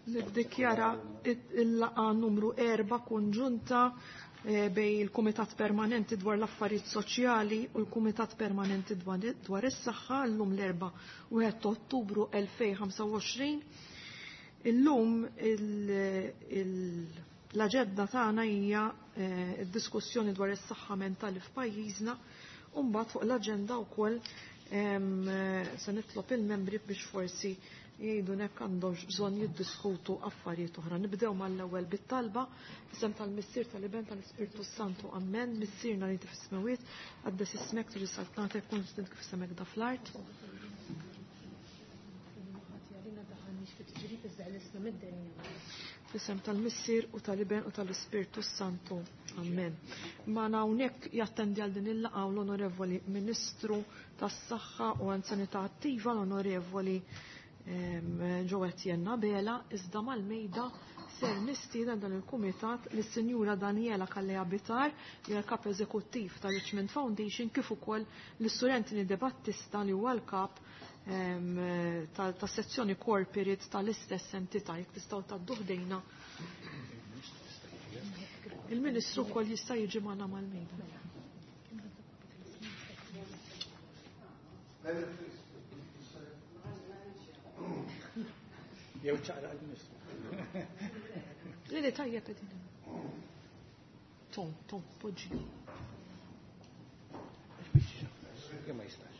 Niddikjara il-laqa numru 4 konġunta eh, bej il-Kumitat Permanenti dwar l-Affarijiet Soċjali u l-Kumitat Permanenti dwar is-Saħħa llum l-erba' 1 Ottubru 2025. Illum l-aġenda tagħna hija eh, d-diskussjoni dwar is-saħħa mentali f'pajjiżna u mbagħad fuq l-aġenda wkoll eh, se nitlob il-membri biex forsi jgħidu nek għandhomx bżonn jiddiskutu affarijiet oħra. Nibdew mal-ewwel bit-talba isem tal-Missier tal-Iben tal-Ispirtu Santu. Ammen. Missierna li fis-smewwiet, għaddes ismek tiġi saltnatek kun kif semek da fl-art. Fisem tal-Missier u tal-Iben u tal-Ispirtu Santu. Amen. Ma hawnhekk jattendi għal din il-laqgħa l-Onorevoli Ministru tas-Saħħa u Anzjanità Attiva l-Onorevoli Joe Etienne Abela, iżda mal-mejda ser nistieden dan il-kumitat lis-Sinjura Daniela Kallea Bitar, li hija l-kap eżekuttiv ta' Richmond Foundation, kif ukoll lis-Sur Anthony De Battista li huwa l-kap tas-sezzjoni corporate tal-istess entità. Jekk tistgħu tgħaddu ħdejna. Il-Ministru wkoll jista' jiġi magħna mal-mejda. Jew ċaqlaq il-Ministru. Le, le, tajjeb qegħdin. Tom, Tom, poġġi. Ma jistax.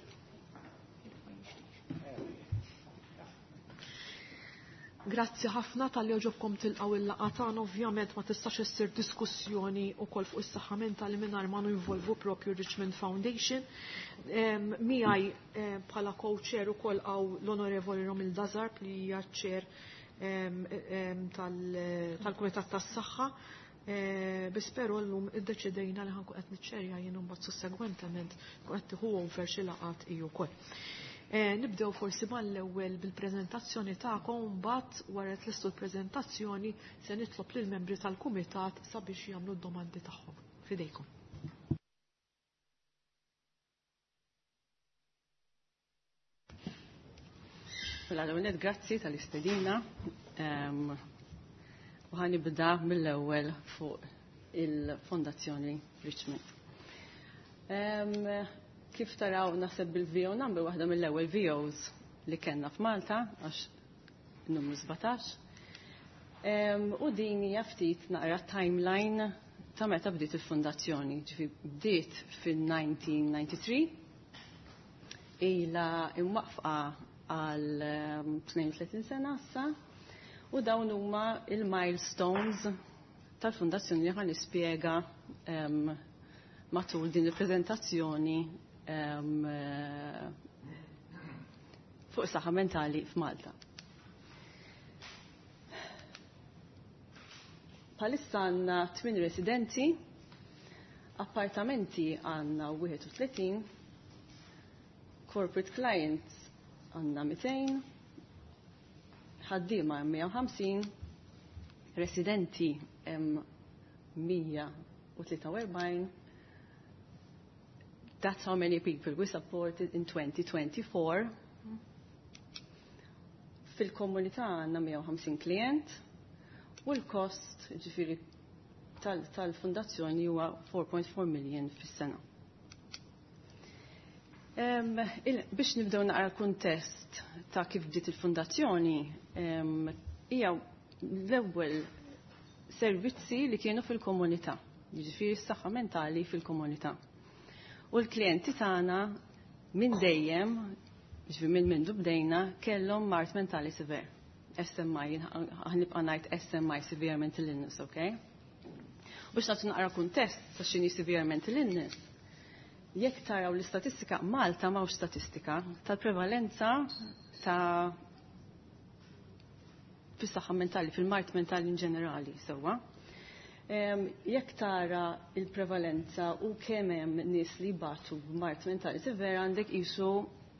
Grazzi ħafna tal-li oġobkom tilqaw il-laqgħa tagħna. Ovvjament ma tistax issir diskussjoni wkoll fuq is-saħħa mentali mingħajr ma ninvolvu propju Richmond Foundation. Miegħi bħala co-chair ukoll hawn l-Onorevoli Romilda Zarb li hija chair tal-Kumitat tas-Saħħa. Biss però llum iddeċidejna li ħankun qed niċċerja jien imbagħad sussegwentement kun qed tieħu over xi laqgħat hi wkoll. Nibdew forsi mal-ewwel bil-preżentazzjoni tagħkom mbagħad wara tlistu l-preżentazzjoni se nitlob lill-membri tal-kumitat sabiex jagħmlu d-domandi tagħhom. Fidejkom. Mela l-ewwel grazzi tal-istedina. U ħanibda mill-ewwel fuq il-Fondazzjoni Richmond. Kif taraw naħseb bil-VO number waħda mill-ewwel VOs li kellna f'Malta għax numru 17. U din hija ftit naqra timeline ta' meta bdiet il-fondazzjoni. Ġifi bdiet fil-1993 ila imwaqfa għal 32 sena issa u dawn huma il-milestones tal-fondazzjoni li ħan nispjega matul din il-preżentazzjoni fuq saħħa mentali f'Malta. Palissa għandna 8 residenti, appartamenti għandna 31, corporate clients għandna 200, ħaddiema 150, residenti hemm 143. That's how many people we supported in 2024. Fil-komunità għandna 150 klient u l-kost ġifiri tal-fondazzjoni huwa 4.4 million fis-sena. Biex nibdew naqra kuntest ta' kif bdiet il-fondazzjoni, hija l-ewwel servizzi li kienu fil-komunità, jiġifieri s-saħħa mentali fil-komunità. U l-klijenti tagħna minn dejjem, ġifieri minn mindu bdejna, kellhom mard mentali sever. SMI, ħanibqa' ngħid SMI, severe mental illness, okay? Biex nagħtu naqra kuntest ta' x'inhi severe mental illness. Jekk taraw l-istatistika, Malta m'hawnx statistika tal-prevalenza ta' fis-saħħa mentali, fil-mard mentali in ġenerali, sewwa. Jekk tara il-prevalenza u kemm hemm nies li batu b'mard mentali severa għandek qisu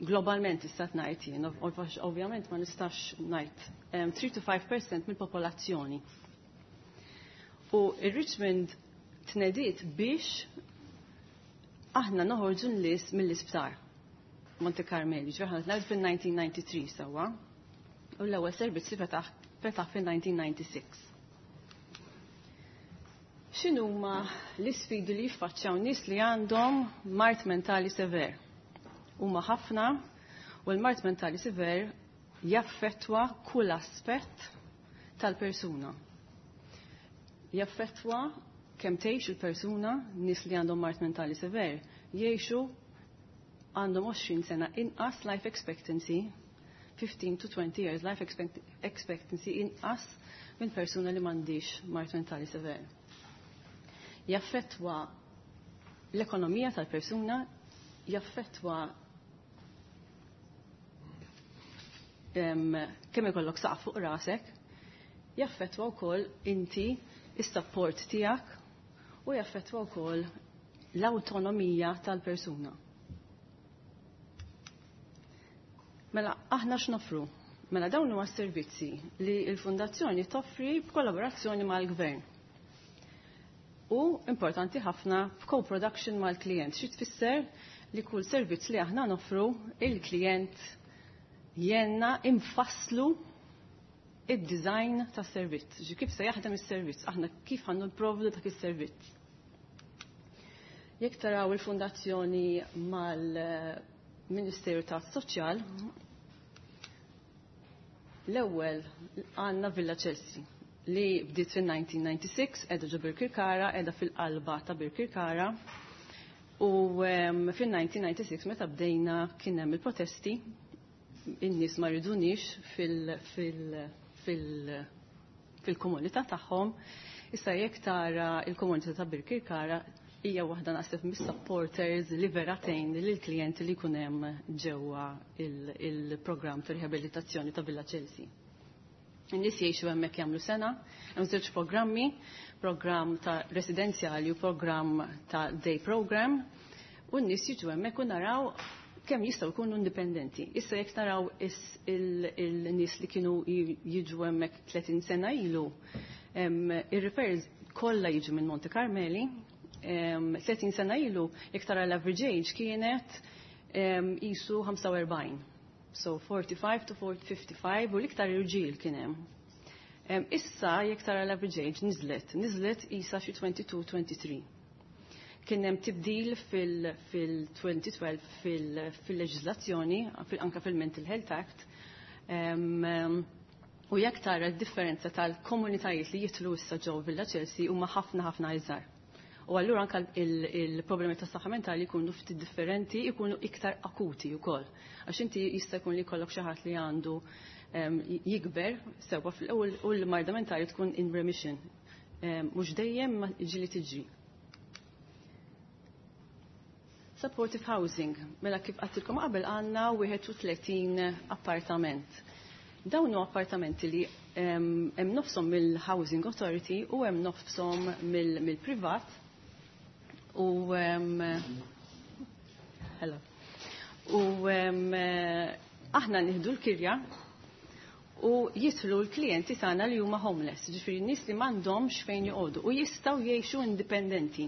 globalment tista' ngħid jien, ovvjament ma nistax ngħid 3 to 5% mill-popolazzjoni. U il-Richmond tnediet biex aħna noħorġu n-nies mill-isptar Monte Carmeli, ġifieri aħna tnediet fil-1993 sewwa. U l-ewwel servizz li fetaħ fil-1996. X'inhuma l-isfidi li jiffaċċjaw nies li għandhom mard mentali sever? Huma ħafna u l-mard mentali sever jaffettwa kull aspett tal-persuna. Jaffettwa kemm tgħix il-persuna, nies li għandhom mard mentali sever, jgħixu għandhom 20 sena inqas life expectancy, 15 to 20 years life expectancy inqas minn persuna li m'għandix mard mentali sever. Jaffettwa l-ekonomija tal-persuna, jaffettwa kemm ikollok saqaf fuq rasek, jaffettwa wkoll inti is-support tiegħek u jaffettwa wkoll l-awtonomija tal-persuna. Mela aħna x'nofru? Mela dawn huwa servizzi li l-Fundazzjoni toffri b'kollaborazzjoni mal-Gvern. U importanti ħafna b'co-production mal-klient. Xi tfisser li kull servizz li aħna noffru il-klient jenna infasslu id-design tas servizz. Ġi kif se jaħdem is-servizz, aħna kif ħannu nipprovdu dak is-servizz. Jekk taraw il-fundazzjoni mal-Ministeru tas-Soċjal, l-ewwel għandna Villa Chelsea li bdiet fil-1996, edha ġo Birkirkara, edha fil-qalba ta' Birkirkara. U fil-1996 meta bdejna kien hemm il-protesti, in-nies ma ridunix fil-komunità tagħhom. Issa jekk tara il-komunità ta' Birkirkara hija waħda naħseb mis-supporters li vera tgħin lill-klijenti li jkun hemm ġewwa il-programm ta' riabilitazzjoni ta' Villa Chelsea. In-nies jgħixu hemmhekk jagħmlu sena, hemm żewġ programmi, programm ta' residenzjali u programm ta' day program, u n-nies jiġu hemmhekk u naraw kemm jistgħu jkunu indipendenti. Issa jekk naraw il-nies li kienu jiġu hemmhekk 30 sena ilu, ir-referrals kollha jiġu minn Monte Carmeli, 30 sena ilu jekk tara l-average age kienet jisu 45. So 45 to 55 u l-iktar irġiel kien hemm. Issa jekk tara l-average age nizlet isa xi 22-23. Kien hemm tibdil fil-2012 fil-leġiżlazzjoni, anka fil-Mental Health Act. U jekk tara d-differenza tal-komunitajiet li jitlu issa ġew Villa Chelsea huma ħafna ħafna iżgħar. U allura anka il-problemi ta' saħħa mentali jkunu ftit differenti, jkunu iktar akuti wkoll. Għax inti jista' jkun li jkollok xi ħadd li għandu jikber sewwa fl-ewwel u l-marda mentali tkun in remission. Mhux dejjem ma ġieli tiġri. Supportive housing, mela kif għattilkom qabel għandna 31 appartament. Dawn huma appartamenti li hemm nofshom mill-Housing Authority u hemm nofshom mill-privat. U hello. U aħna nieħdu l-kirja u jitlu l-klijenti tagħna li huma homeless, ġifieri nies li m'għandhomx fejn joqogħdu u jistgħu jgħixu indipendenti.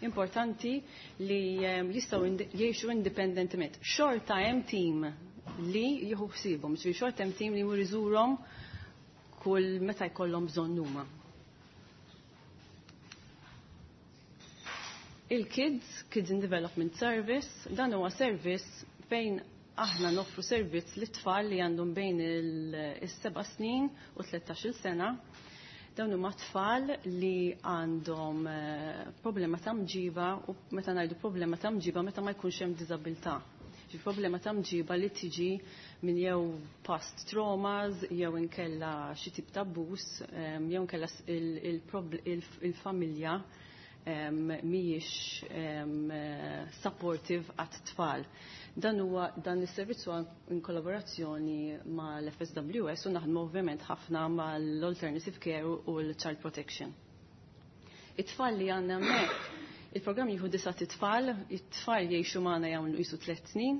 Importanti li jistgħu jgħixu indipendentement. Xorta hemm team li jieħu ħsiebhom, ġifieri xorta hemm team li jmur iżurhom kull meta jkollhom bżonn huma. Il-Kids, Kids in Development Service, dan huwa service fejn aħna noffru servizz lit-tfal li għandhom bejn is-7 snin u 13-il sena. Dawn huma tfal li għandhom problema ta' mġiba u meta ngħidu problema ta' mġiba meta ma jkunx hemm diżabilità. Ġi problema ta' mġiba li tiġi minn jew past traumas, jew inkella xi tip ta' abbuż, jew inkella il-familja mhijiex supportive għat-tfal. Dan huwa dan is-servizz huwa in kollaborazzjoni mal-FSWS u naħdmu ovvjament ħafna mal-Alternative Care u l-Child Protection. It-tfal li għandna hemmhekk, il-programm jieħu 9 tfal, it-tfal jgħixu magħna jagħmlu qisu 3 snin,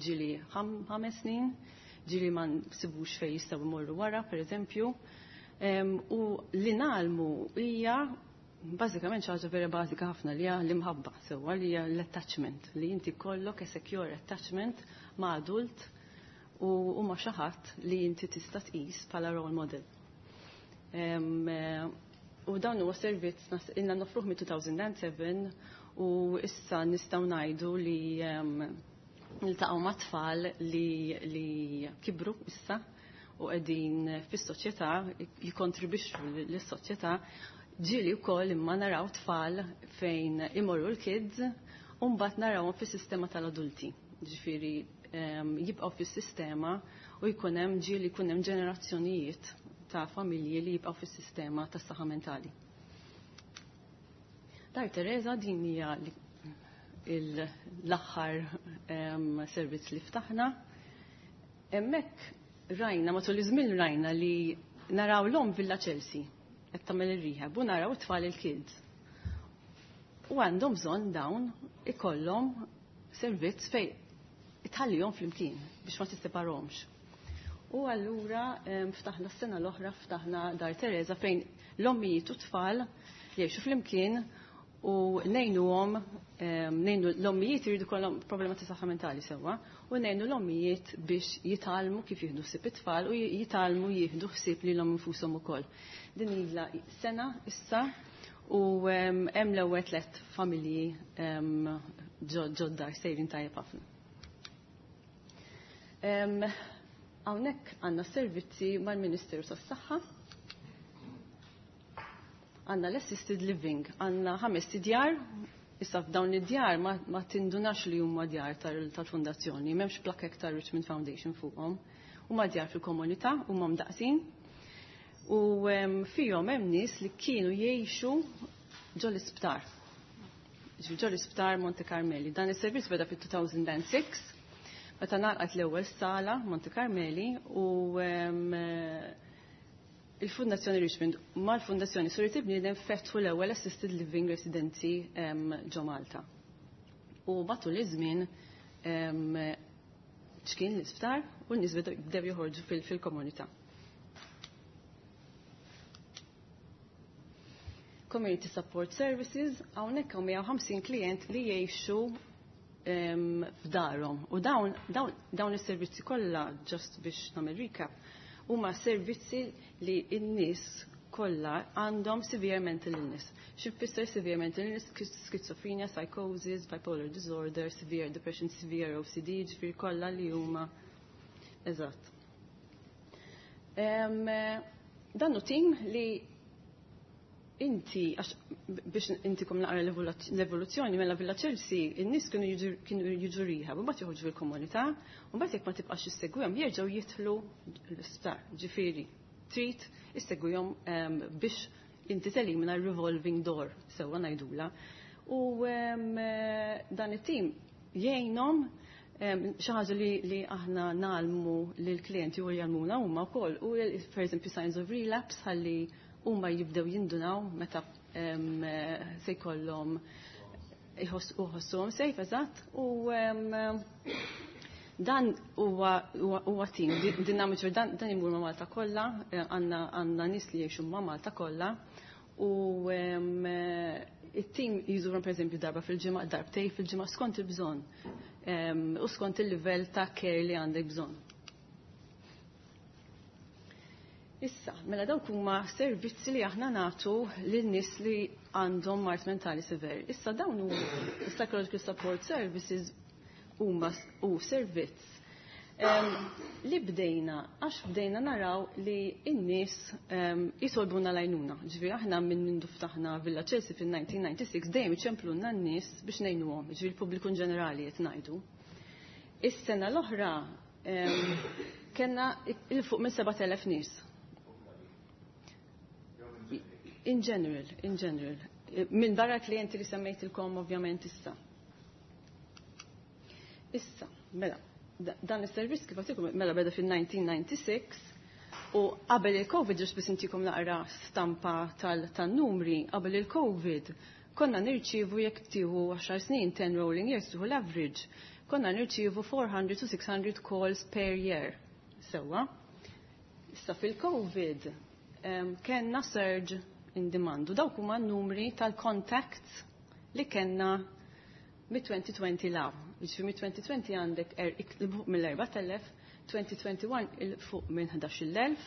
ġieli 5 snin, ġieli ma nsibux fejn jistgħu jmorru wara, pereżempju. U li nagħlmu hija bażikament xi ħaġa vera bażika ħafna li hija l-imħabba sewwa li hija l-attachment, li inti kollok a secure attachment ma' adult u huma xi ħadd li inti tista' tqis bħala role model. U dan huwa servizz ilna nofruh mit-2007 u issa nistgħu ngħidu li niltaqgħu ma' tfal li kibru issa u qegħdin fis-soċjetà jikkontribwixxu lis-soċjetà. Ġieli wkoll imma naraw tfal fejn imorru l-kids u mbagħad narawhom fis-sistema tal-adulti. Ġifieri jibqgħu fis-sistema u jkun hemm ġieli jkun hemm ġenerazzjonijiet ta' familji li jibqgħu fis-sistema tas-saħħa mentali. Dar Teresa, din hija l-aħħar servizz li ftaħna. Hemmhekk rajna, matul iż-żmien rajna li naraw l-omm Villa Chelsea qed tagħmel ir-rehab u naraw it-tfal il-kids. U għandhom bżonn dawn ikollhom servizz fej itħallihom flimkien biex ma tisseparhomx. U allura ftaħna s-sena l-oħra, ftaħna Dar Teresa fejn l-ommijiet u tfal jgħixu flimkien u ngħinuhom, ngħinu l-ommijiet jridu kollhom problema ta' saħħa mentali sewwa, u ngħinu l-ommijiet biex jitgħallmu kif jieħdu ħsieb it-tfal u jitgħallmu jieħdu ħsieb lilhom infushom ukoll. Din ilha sena issa u hemm l-ewwel 3 familji ġodda sejrin tajjeb ħafna. Hawnhekk għandna servizzi mal-Ministeru tas-Saħħa. Għandna l-assisted living, għandna 5 djar, issa f'dawn id-djar ma tindunax li huma djar tal-fondazzjoni, m'hemmx plakek tar Richmond Foundation fuqhom. Huma djar fil-komunità, huma mdaqsin. U fihom hemm nies li kienu jgħixu ġol isptar. Ġifieri ġol isptar Monte Carmeli. Dan is-servizz beda fit-2006, meta nagħlqet l-ewwel sala Monte Carmeli u il-Fundazzjoni Richmond mal-Fundazzjoni Suri Bniedem fetħu l-ewwel assisted living residency ġo Malta. U matul iż-żmien ċkien l-isptar u n-nies bdew joħorġu fil-komunità. Community Support Services, hawnhekk hawn 150 klient li jgħixu f'darhom. U dawn is-servizzi kollha, just biex nagħmel recap, huma servizzi li n-nies kollha għandhom severe mental illness. Xi tfisser severe mental illness? Schizophrenia, psychosis, bipolar disorder, severe depression, severe OCD, ġifieri kollha li huma eżatt. Dan hu tim li inti, għax biex intikom naqra l-evoluzzjoni, mela Villa Chelsea, in-nies kienu jiġu rehab, u mbagħad joħorġu fil-komunità, u mbagħad jekk ma tibqax issegwihom jerġgħu jidħlu l-isptar. Ġifieri, trid issegwihom biex inti telimina revolving door, sewwa ngħidula. U dan it-tim jgħinhom xi ħaġa li aħna nagħlmu lill-klijenti u jgħallmuna huma wkoll, u per eżempju signs of relapse ħalli huma jibdew jindunaw meta se jkollhom iħossuhom sejf eżatt. U dan huwa tim dinamiċi, dan imur ma' Malta kollha, għandna nies li jgħixu ma' Malta kollha, u it-tim jżurhom pereżempju darba fil-ġimgħa, darbtej fil-ġimgħa skont il-bżonn, u skont il-livell ta' care li għandek bżonn. Issa, mela dawk huma servizzi li aħna nagħtu lil nies li għandhom mard mentali sever. Issa dawn hu psychological support services huma u servizz li bdejna, għax bdejna naraw li n-nies jitolbuna l-għajnuna. Ġifieri aħna minn mindu ftaħna Villa Chelsea fil-1996 dejjem iċemplunna n-nies biex ngħinuhom, ġifieri l-pubbliku in ġenerali qed ngħidu. Is-sena l-oħra kellna il fuq minn 7,000 nies. In general, in general. Minn barra klienti li semmejtilkom ovvjament issa. Issa, mela, dan is-servizz kif għatikom, mela beda fil-1996 u qabel il-Covid, ġust biex intikom naqra stampa tal-numri, qabel il-Covid konna nirċivu jekk tieħu 10 snin, 10 rolling years, tieħu l-average, konna nirċivu 400 to 600 calls per year. Sewwa. Issa fil-Covid kellna surge in demand. U dawk huma n-numri tal-contacts li kellna mit-2020 law. Jiġifieri mit-2020 għandek fuq mill-4,000, 2021 'il fuq minn 11,000,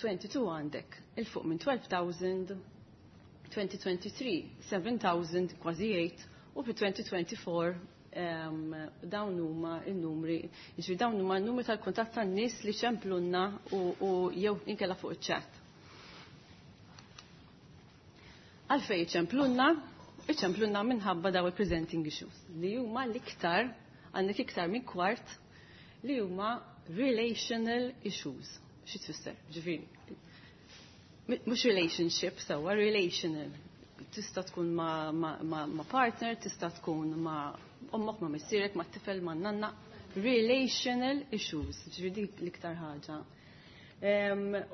22 għandek 'il fuq minn 12,000, 2023 7,000, kważi 8, u fi 2024 dawn huma n-numri, jiġifieri dawn huma n-numri tal-kuntatt tan-nies li ċemplunna u jew inkella fuq iċ-chat. Għalfejn iċemplunna? Iċemplunna minħabba daw il-presenting issues li huma l-iktar, għandek iktar minn kwart li huma relational issues. Xi tfisser? Ġifieri mhux relationship sewwa, relational. Tista' tkun ma, ma, ma, ma partner, tista' tkun ma ommok, ma missierek, ma tifel, ma nanna. Relational issues, ġifieri dik l-iktar ħaġa.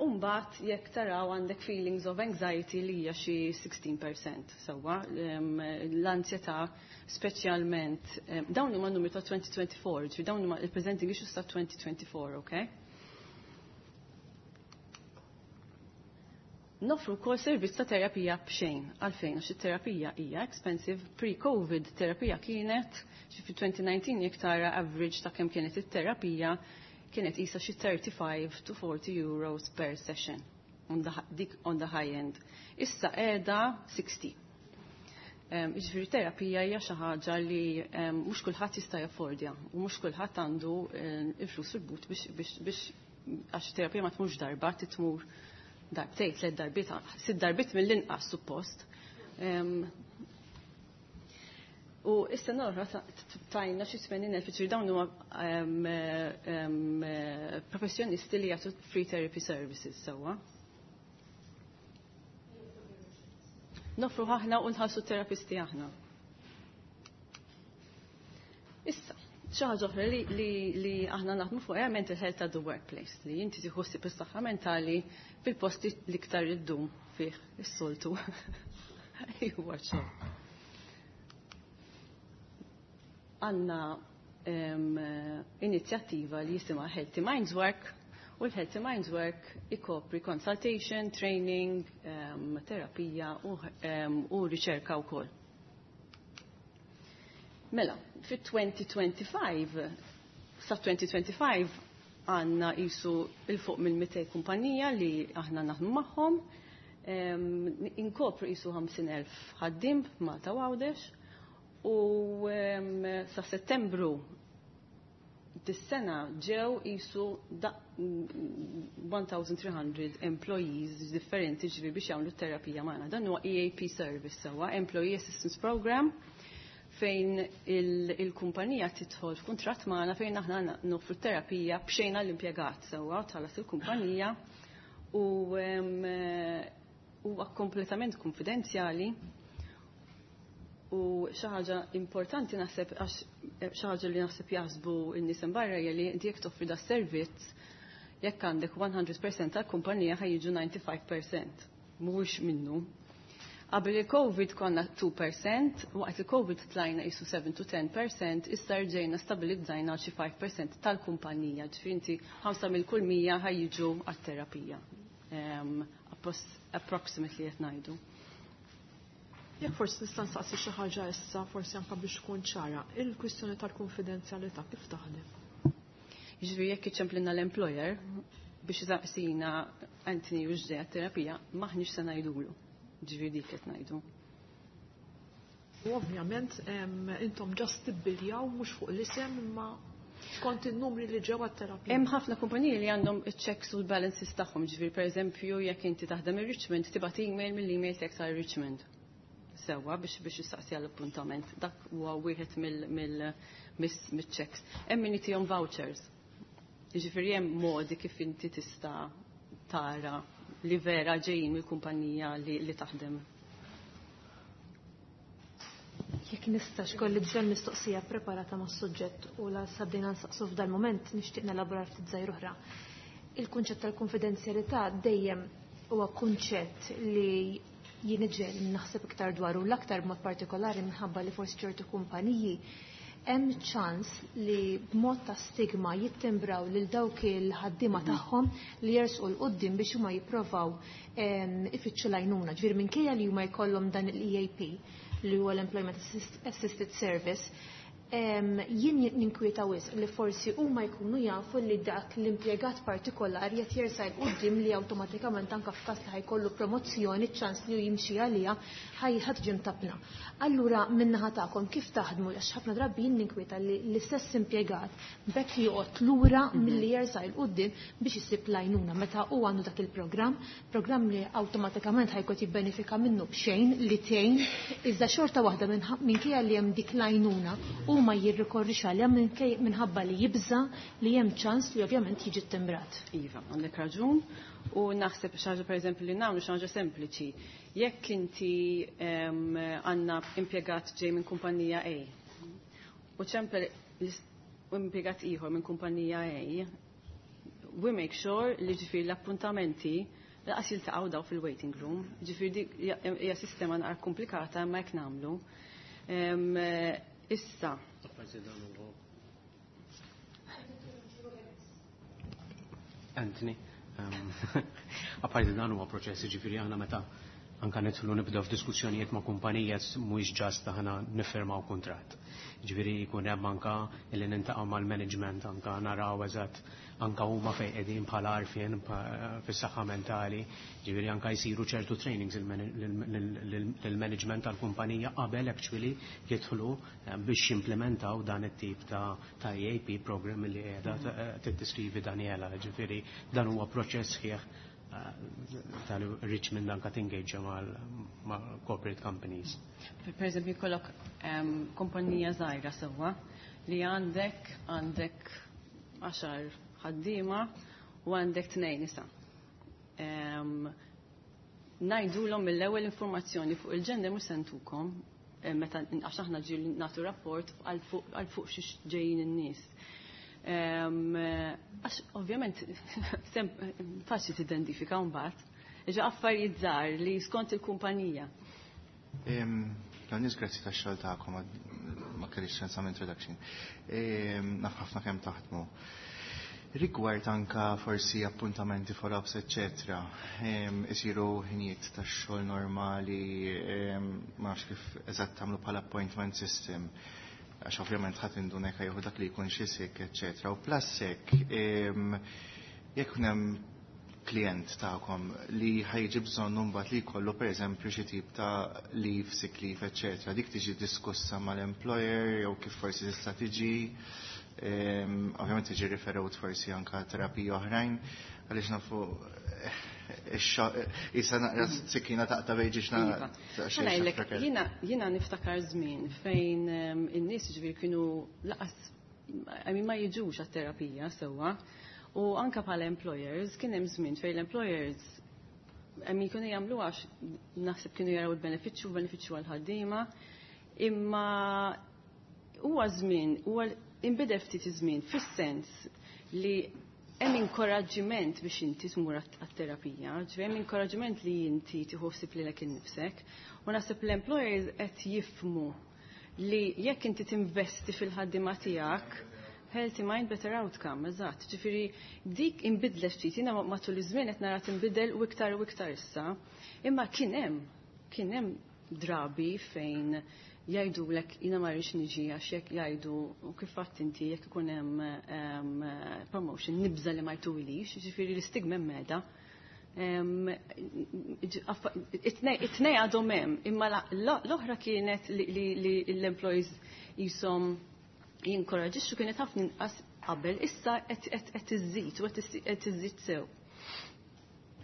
Umbat, jekk taraw għandek feelings of anxiety li hija xi 16% sewwa, l-ansjetà speċjalment, dawn huma numri ta' 2024, ġifieri dawn huma il-presenting issues ta' 2024, okay? Nofru wkoll servizz ta' terapija b'xejn. Għalfejn, għax it-terapija hija expensive. Pre-COVID terapija kienet, xi fi 2019 jekk tara average ta' kemm kienet it-terapija, kienet isa xi 35 to 40 euros per session on the, dik on the high end. Issa qiegħda 60. Jiġifieri terapija hija xi ħaġa li mhux kulħadd jista' jaffordja u mhux kulħadd għandu il-flus fil-but biex għax terapija ma tmurx darba, titmur darbtejn, tliet darbiet, sitt darbiet mill-inqas suppost. U issa norra tajna xi 80,000, ġifieri dawn huma professjonisti li jagħtu free therapy services sewwa. Nofru aħna u nħallsu terapisti aħna. Issa, xi ħaġa oħra li aħna naħdmu fuq hija mental health at the workplace, li inti tieħu ħsieb is-saħħa mentali fil-posti l-iktar iddum fih is-soltu. Huwa xogħol. Għandna inizjattiva li jisimha Healthy Minds Work, u l-Healthy Minds Work ikopri consultation, training, terapija u riċerka wkoll. Mela, fit-2025, sa 2025 għandna jisu 'il fuq minn 200 kumpanija li aħna naħdmu magħhom, inkopru jisu 50,000 ħaddim Malta u Għawdex, u sa settembru dis-sena ġew jisu 1300 employees differenti, ġifieri biex jagħmlu terapija magħna. Dan huwa EAP service sewwa, Employee Assistance Program, fejn il-kumpanija tidħol f'kuntratt magħna fejn aħna noffru terapija b'xejn għall-impjegat sewwa, tħallas il-kumpanija u huwa kompletament konfidenzjali. U xi ħaġa importanti naħseb, għax xi ħaġa li naħseb jaħsbu n-nies barra hija li inti jekk toffri da servizz, jekk għandek 100% tal-kumpanija ħa jiġu 95%. Mhuwiex minnu. Qabel il-Covid konna 2%, waqt il-Covid tlajna jisu 7 to 10%, issa rġejna stabilizzajna xi 5% tal-kumpanija, ġifieri inti 5 mill kull 100 ħa jiġu għat-terapija. Approximately qed ngħidu. Jekk forsi nista' nsaqsi xi ħaġa issa, forsi anke biex tkun ċara, il-kwistjoni tal-konfidenzjalità kif taħdem? Jiġifieri jekk iċemplilna l-employer biex jisaqsina Anthony u ġdejja terapija, maħniex se ngħidulu. Ġifieri dik qed ngħidu. U ovvjament intom just tibbiljaw mhux fuq l-isem imma skont in-numri li ġew għat-terapija. Hemm ħafna kumpaniji li għandhom iċ-checks u l-balances tagħhom, ġifieri pereżempju jekk inti taħdem ir-Richmond tibgħat email mill-email tiegħek ta' Richmond. Sewwa biex jistaqsi għall-appuntament. Dak huwa wieħed mill-checks. Hemm min jtihom vouchers. Jiġifieri hemm modi kif inti tista' tara li vera ġejjin mill-kumpanija li taħdem. Jekk nistax kolli bżonn mistoqsija preparata mas-suġġett u la sabdejna nsaqsu f'dal moment nixtieq nelabora ftit żgħir oħra. Il-kunċett tal-konfidenzjalità dejjem huwa kunċett li jien iġel naħseb iktar dwaru, l-aktar b'mod partikolari minħabba li forsi ċertu kumpaniji hemm ċans li b'mod ta' stigma jittembraw lil dawk il-ħaddiema tagħhom li jersqu 'l quddiem biex huma jipprovaw ifittxu l-għajnuna. Ġifieri minkejja li huma jkollhom dan il-EAP li huwa l-Employment Assisted Service, Jien ninkwieta wisq li forsi huma jkunu jafu li dak l-impjegat partikolari qed jersaq 'il quddiem, li awtomatikament anke f'każ li ħa jkollu promozzjoni, ċans li jimxi għaliha ħa tiġi mtappna. Allura, min-naħa tagħkom kif taħdmu? Għax ħafna drabi jien ninkwieta li l-istess impjegat bekk joqgħod lura milli jersaq 'il quddiem biex isib l-għajnuna meta hu għandu dak il-programm, programm li awtomatikament ħa jkun jibbenefika minnu b'xejn li tgħin, iżda xorta waħda, minkejja li hemm dik l-għajnuna, u ma jirrikorrix għaliha minħabba li jibża li hemm ċans li ovvjament jiġi timbrat. Iva, għandek raġun. U naħseb xi ħaġa, pereżempju, li nagħmlu, xi ħaġa sempliċi. Jekk inti għandna impjegat ġej minn kumpanija A u ċempel impjegat ieħor minn kumpanija A, we make sure li, ġifieri, l-appuntamenti lanqas jiltaqgħu daw fil-waiting room. Ġifieri dik hija sistema naqra komplikata, imma jekk nagħmlu. Issa. Apparti dan huwa, Anthony, apparti dan huwa proċess, ġifieri aħna meta anka nidħlu nibdew f'diskussjonijiet ma' kumpanija, mhuwiex just aħna niffirmaw kuntratt. Ġifieri jkun hemm anka illi niltaqgħu mal-management, anka naraw eżatt anka huma fejn qegħdin bħala għarfien fis-saħħa mentali, ġifieri anka jsiru ċertu trainings lill-management tal-kumpanija qabel actually jidħlu biex jimplementaw dan it-tip ta' EAP program li qiegħda tiddeskrivi Daniela. Ġifieri dan huwa proċess sħiħ tal-Richmond anka tingaġa mal-corporate companies. Per eżempju, jkollok kompanija żgħira sewwa li għandek 10 ħaddiema u għandek tnejn nisa. Ngħidulhom mill-ewwel, informazzjoni fuq il-gender mhux se ntukom meta, għax aħna ġieli nagħtu rapport għal fuq xiex ġejjin in-nies. Għax ovvjament faċli tidentifika mbagħad. Ġa affarijiet żgħar li skont il-kumpanija. L-għanis, grazzi tax-xogħol tagħkom, ma kellix ċans introduction. Naf ħafna kemm taħdmu. Rigward anka forsi appuntamenti, follow-ups, eccetera, isiru ħinijiet tax-xogħol normali, ma nafx kif eżatt tagħmlu bħala appointment system, għax ovvjament ħadd induna jekk jieħu dak li jkun xi sick, eccetera. U plus hekk, jekk hemm klient tagħkom li ħa jiġi bżonn mbagħad li jkollu, pereżempju, xi tip ta' leave, sick leave, eccetera, dik tiġi diskussa mal-employer jew kif forsi tista' tiġi, ovvjament tiġi referut forsi anka terapiji oħrajn, għaliex nafu issa naqra sikkina taqta' bejn ġiex. Iva. Jiena niftakar żmien fejn in-nies, ġifieri, kienu lanqas, I mean, ma jiġux għat-terapija sewwa. U anka bħala employers, kien hemm żmien fejn l-employers, I mean, kienu jagħmlu għax naħseb kienu jaraw il-benefiċċju, benefiċċju għal-ħaddiema, imma huwa żmien, huwa inbidel ftit iż-żmien fis-sens li hemm inkoraġġiment biex inti tmur għat-terapija, ġifieri hemm inkoraġġiment li inti tieħu ħsieb lilek innifsek, u naħseb l-employers qed jifhmu li jekk inti tinvesti fil-ħaddiema tiegħek, healthy mind, better outcome, eżatt. Ġifieri dik inbidlet ftit, jiena matul iż-żmien qed nara tinbidel u iktar u iktar issa. Imma kien hemm drabi fejn jgħidulek, "Jiena ma rridx niġi għax jekk jgħidu, u kif fatt inti, jekk ikun hemm promotion nibża li ma jtuhilix," ġifieri l-istigma meda. It-tnej għadhom hemm, imma l-oħra kienet li l-employees jisom jinkoraġixxu, kienet ħafna inqas qabel, issa qed iżid u qed iżid sew.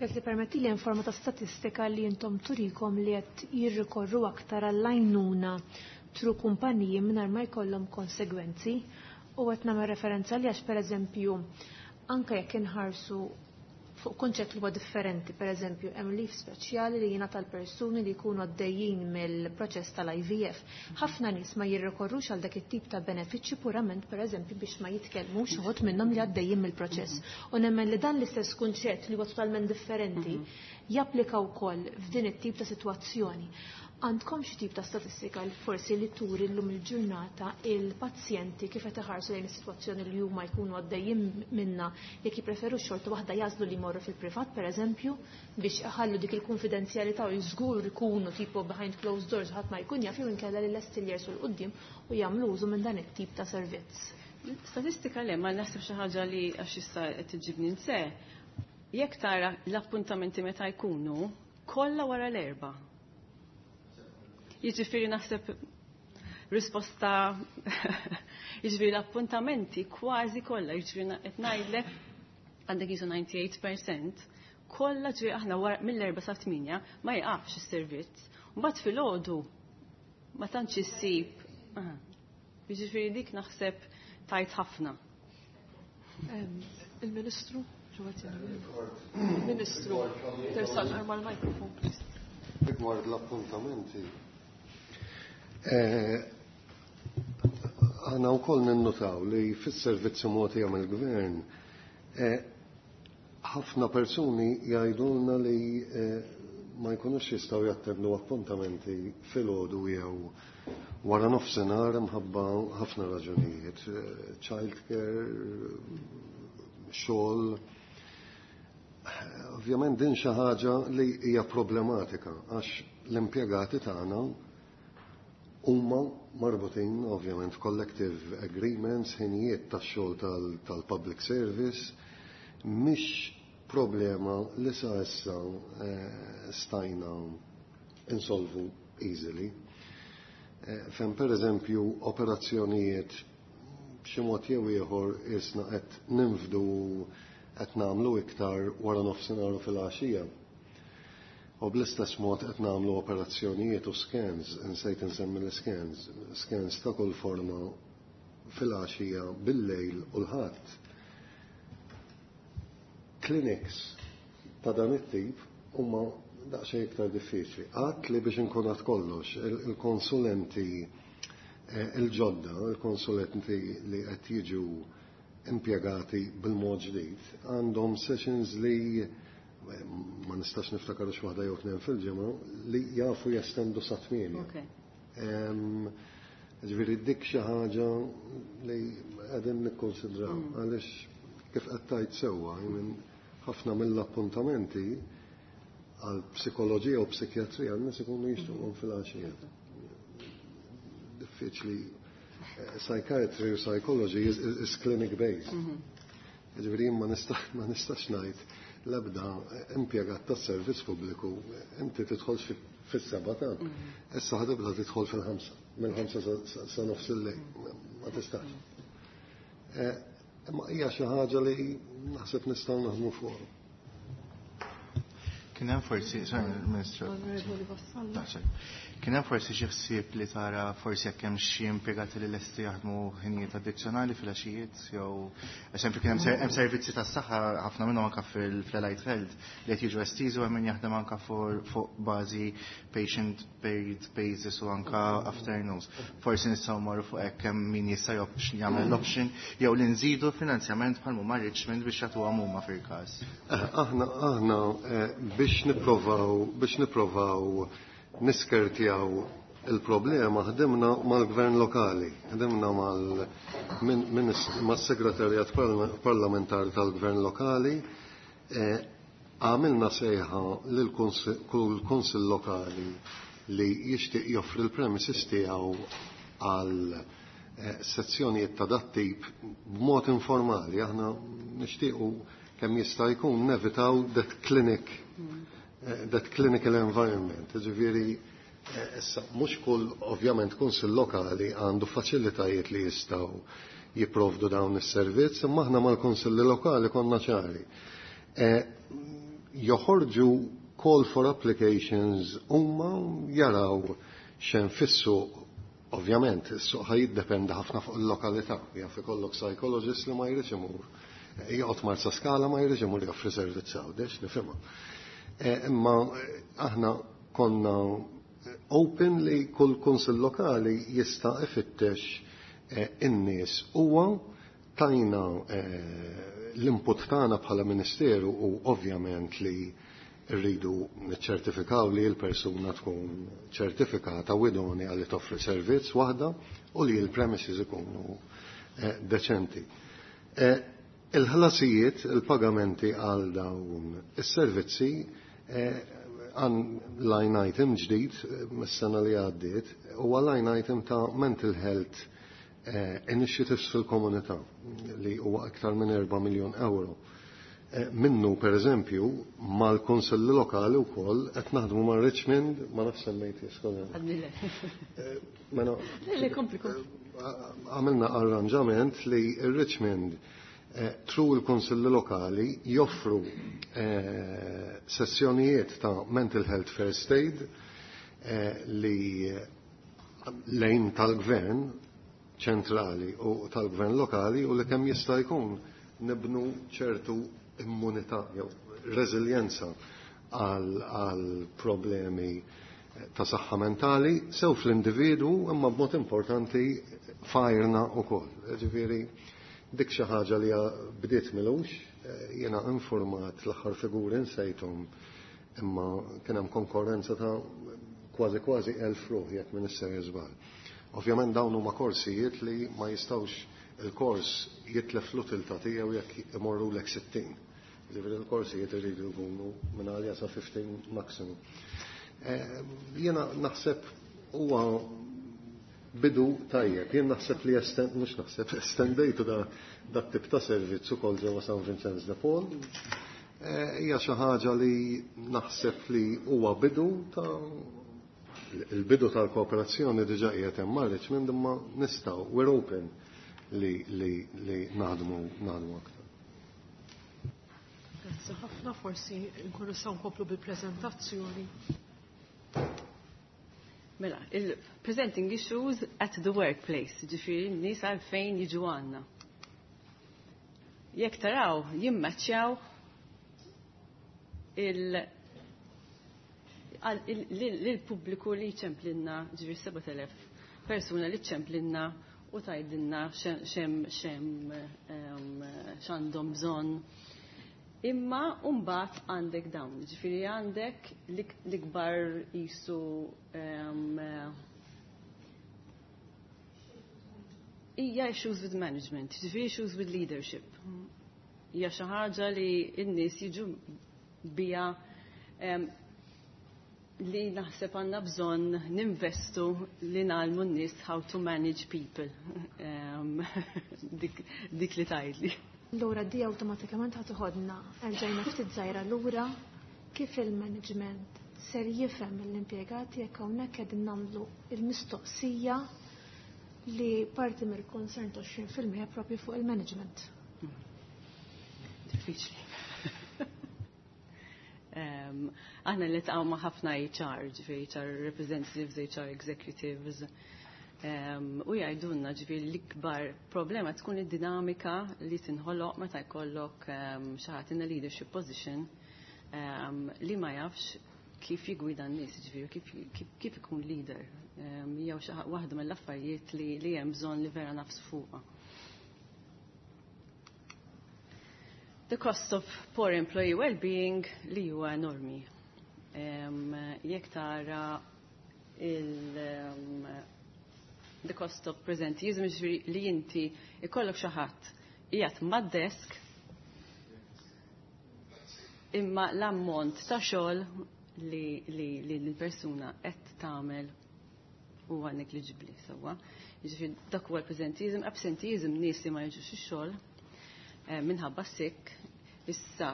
Jekk tippermetti li forma ta' statistika li intom turikom li qed jirrikorru aktar għall-għajnuna through kumpaniji mingħajr ma jkollhom konsegwenzi, u qed nagħmel referenza li għax, pereżempju, anke jekk inħarsu fuq kunċett li huwa differenti, pereżempju, hemm leave speċjali li jingħata l-persuni li jkunu għaddejjin mill-proċess tal-IVF. Ħafna nies ma jirrikorrux għal dak it-tip ta' benefiċċju purament, pereżempju, biex ma jitkellmux uħud minnhom li għaddejjin mill-proċess. U nemmen li dan l-istess kunċett li huwa totalment differenti japplika wkoll f'din it-tip ta' sitwazzjoni. Għandkom xi tip ta' statistika li forsi li turi llum il-ġurnata il-pazjenti kif qed iħarsu lejn is-sitwazzjoni li huma jkunu għaddejjin minna, jekk jippreferu xorta waħda jażlu li jmorru fil-privat, pereżempju, biex iħallu dik il-konfidenzjalità u żgur ikunu tipo behind closed doors, ħadd ma jkun jaf, jew inkella li lesti li jersu 'l quddiem u jagħmlu użu minn dan it-tip ta' servizz? Statistika le, ma naħseb xi ħaġa li għax issa qed iġibni nse. Jekk tara l-appuntamenti meta jkunu, kollha wara l-4. Jiġifieri naħseb risposta, jiġifieri l-appuntamenti kważi kollha, jiġifieri qed ngħidlek għandek jisu 98% kollha, ġifieri aħna wara mill-4 sa 8 ma jqafx is-servizz. Mbagħad filgħodu ma tantx issib. Jiġifieri dik naħseb tajt ħafna. Il-Ministru, Ministru, tersaq mal-mikrofon, please. Rigward l-appuntamenti, aħna wkoll ninnutaw li fis-servizzi mogħtija mill-gvern ħafna persuni jgħidulna li ma jkunux jistgħu jattendu appuntamenti filgħodu jew wara nofsinhar imħabba ħafna raġunijiet, child care, xogħol. Ovvjament din xi ħaġa li hija problematika għax l-impjegati tagħna huma marbutin ovvjament collective agreements, ħinijiet tax-xogħol tal-public service, mhix problema li sa issa stajna insolvu easily. Fejn per eżempju operazzjonijiet b'xi mod jew ieħor isna qed ninfdu, qed nagħmlu iktar wara nofsinhar u fil-għaxija. U bl-istess mod qed nagħmlu operazzjonijiet u scans, insejt insemmi l-scans, scans ta' kull forma fil-għaxija, bil-lejl u l-ħadd. Clinics ta' dan it-tip huma daqsxejn iktar diffiċli. Għad li biex inkun għad kollox, il-konsulenti il-ġodda, il-konsulenti li qed jiġu impjegati bil-mod ġdid, għandhom sessions li ma nistax niftakar waħda jew tnejn fil-ġimgħa li jafu jestendu sa 8. Ġifieri dik xi ħaġa li qegħdin nikkonsidraw għaliex kif qed tgħid sewwa, ħafna mill-appuntamenti għal psikoloġija u psikjatrija n-nies ikunu jixtuqhom fil-għaxija. Diffiċli, psychiatry u psychology is clinic based. Ġifieri ma nistax ngħid l-ebda impjegat tas-servizz pubbliku inti tidħol fis-7 ta' issa ħa tibda tidħol fil-5, mill-5 sa nofs il-lejl, ma tistax. Imma hija xi ħaġa li naħseb nistgħu naħdmu fuq. Kien hemm forsi, sorry, Ministru. Onorevoli Vassallo. No, sorry. Kien hemm forsi xi ħsieb li tara forsi jekk hemm xi impjegati li lesti jaħdmu ħinijiet addizzjonali fil-għaxijiet, jew eżempju kien hemm servizzi tas-saħħa ħafna minnhom anke fil-Allied Health li qed jiġu estiżi u hemm min jaħdem anke fuq bażi patient paid basis u anke afternoons. Forsi nistgħu mmorru fuq hekk hemm min jista' jagħmel l-option jew li nżidu finanzjament bħal huma Richmond biex jagħtuhom huma fil-każ. Aħna biex nipprovaw niskertjaw il-problema ħdimna mal-gvern lokali, ħdimna mal-segretarjat parlamentari tal-gvern lokali, għamilna sejħa lil kull kunsill lokali li jixtieq joffri l-premises tiegħu għal sezzjonijiet ta' dat-tip b'mod informali. Aħna nixtiequ kemm jista' jkun nevitaw that clinical environment. Ġifieri, issa mhux kull ovvjament kunsill lokali għandu faċilitajiet li jistgħu jipprovdu dawn is-servizz, imma aħna mal-kunsilli lokali konna ċari. Joħorġu call for applications huma jaraw x'hemm fis-suq. Ovvjament, is-suq ħa jiddependi ħafna fuq il-lokalità. Jaf ikollok psychologist li ma jridx imur. Joqgħod Marsaskala, ma jridx imur joffri servizz Għawdex, nifhimha. Imma aħna konna open li kull kunsill lokali jista' ifittex in-nies. Huwa tajna l-input tagħna bħala Ministeru u ovvjament li Irridu niċċertifikaw li l-persuna tkun ċertifikata u idonea li toffri servizz waħda u li l-premises ikunu deċenti. Il-ħlasijiet, il-pagamenti għal dawn is-servizzi għan line item ġdid mis-sena li għaddiet huwa line item ta' mental health initiatives fil-komunità li huwa aktar minn 4 miljon euro. Minnu, per eżempju, mal-konsilli lokali u koll, qed naħdmu ma' Richmond, ma nafx semmejt jiskola. Mela, għamilna arranġament li Richmond through il-konsilli lokali joffru sessjonijiet ta' mental health first aid li lejn tal-gvern ċentrali u tal-gvern lokali u li kemm jista' jkun nibnu ċertu immunità jew reżiljenza għal problemi ta' saħħa mentali sew fl-individu imma b'mod importanti fajrna wkoll. Ġifieri dik xi ħaġa li bdiet milux, jiena informat l-aħħar figuri nsejthom imma kien hemm konkorrenza ta' kważi kważi 1000 ruħ jekk minn issejjer żball. Ovvjament dawn huma korsijiet li ma jistgħux il-kors jitlef l-utilità tiegħu jekk imorru lek 60. Ġifieri l-korsijiet iridu jkunu minn għalja sa 15 maximum. Jiena naħseb huwa bidu tajjeb. Jien naħseb li mhux naħseb estendejtu dak tip ta' servizz ukoll ġewwa San Vincenz de Paul. Hija xi ħaġa li naħseb li huwa bidu ta' il-bidu tal-kooperazzjoni diġà qiegħed hemm ma' Richmond imma nistgħu we're open li, li, li naħdmu naħdmu aktar. Grazzi ħafna, forsi nkunu nistgħu nkomplu bil-preżentazzjoni. Mela, il-presenting issues at the workplace, ġifieri n-nies għalfejn jiġu għandna. Jekk taraw, jimmaċċjaw il-pubbliku li ċemplinna, ġifieri 7000 persuna li ċemplinna u tgħidilna xem xem x'għandhom bżonn. Imma mbagħad għandek dawn, ġifieri għandek l-ikbar jisu hija issues with management, ġifieri issues with leadership. Hija xi ħaġa li n-nies jiġu bija li naħseb għandna bżonn ninvestu li ngħallmu n-nies how to manage people. Dik, dik li tgħidli. Lura di awtomatikament ħa toħodna erġajna ftit żgħira lura kif il-management ser jifhem l-impjegati jekk hawnhekk qegħdin nagħmlu il-mistoqsija li parti mill-concern ta' 20% propju fuq il-management. Diffiċli. Aħna li taqgħu ma' ħafna HR, ġifieri HR representatives, HR executives. U jgħidulna ġifieri l-ikbar problema tkun id-dinamika li tinħoloq meta jkollok xi ħadd in a leadership position li ma jafx kif jigwida n-nies, ġifieri kif ikun leader. Jew xi waħda mill-affarijiet li hemm bżonn li vera nafsu fuqha. The cost of poor employee well-being li huwa enormi. Jekk tara the cost of presenteeism, ġifieri li inti ikollok xi ħadd qiegħed mad-desk imma l-ammont ta' xogħol li l-persuna qed tagħmel huwa negliġibbli sewwa. Jiġifieri dak huwa l-presenteeism, absenteeism nies li ma jiġux ix-xogħol minħabba sick. Issa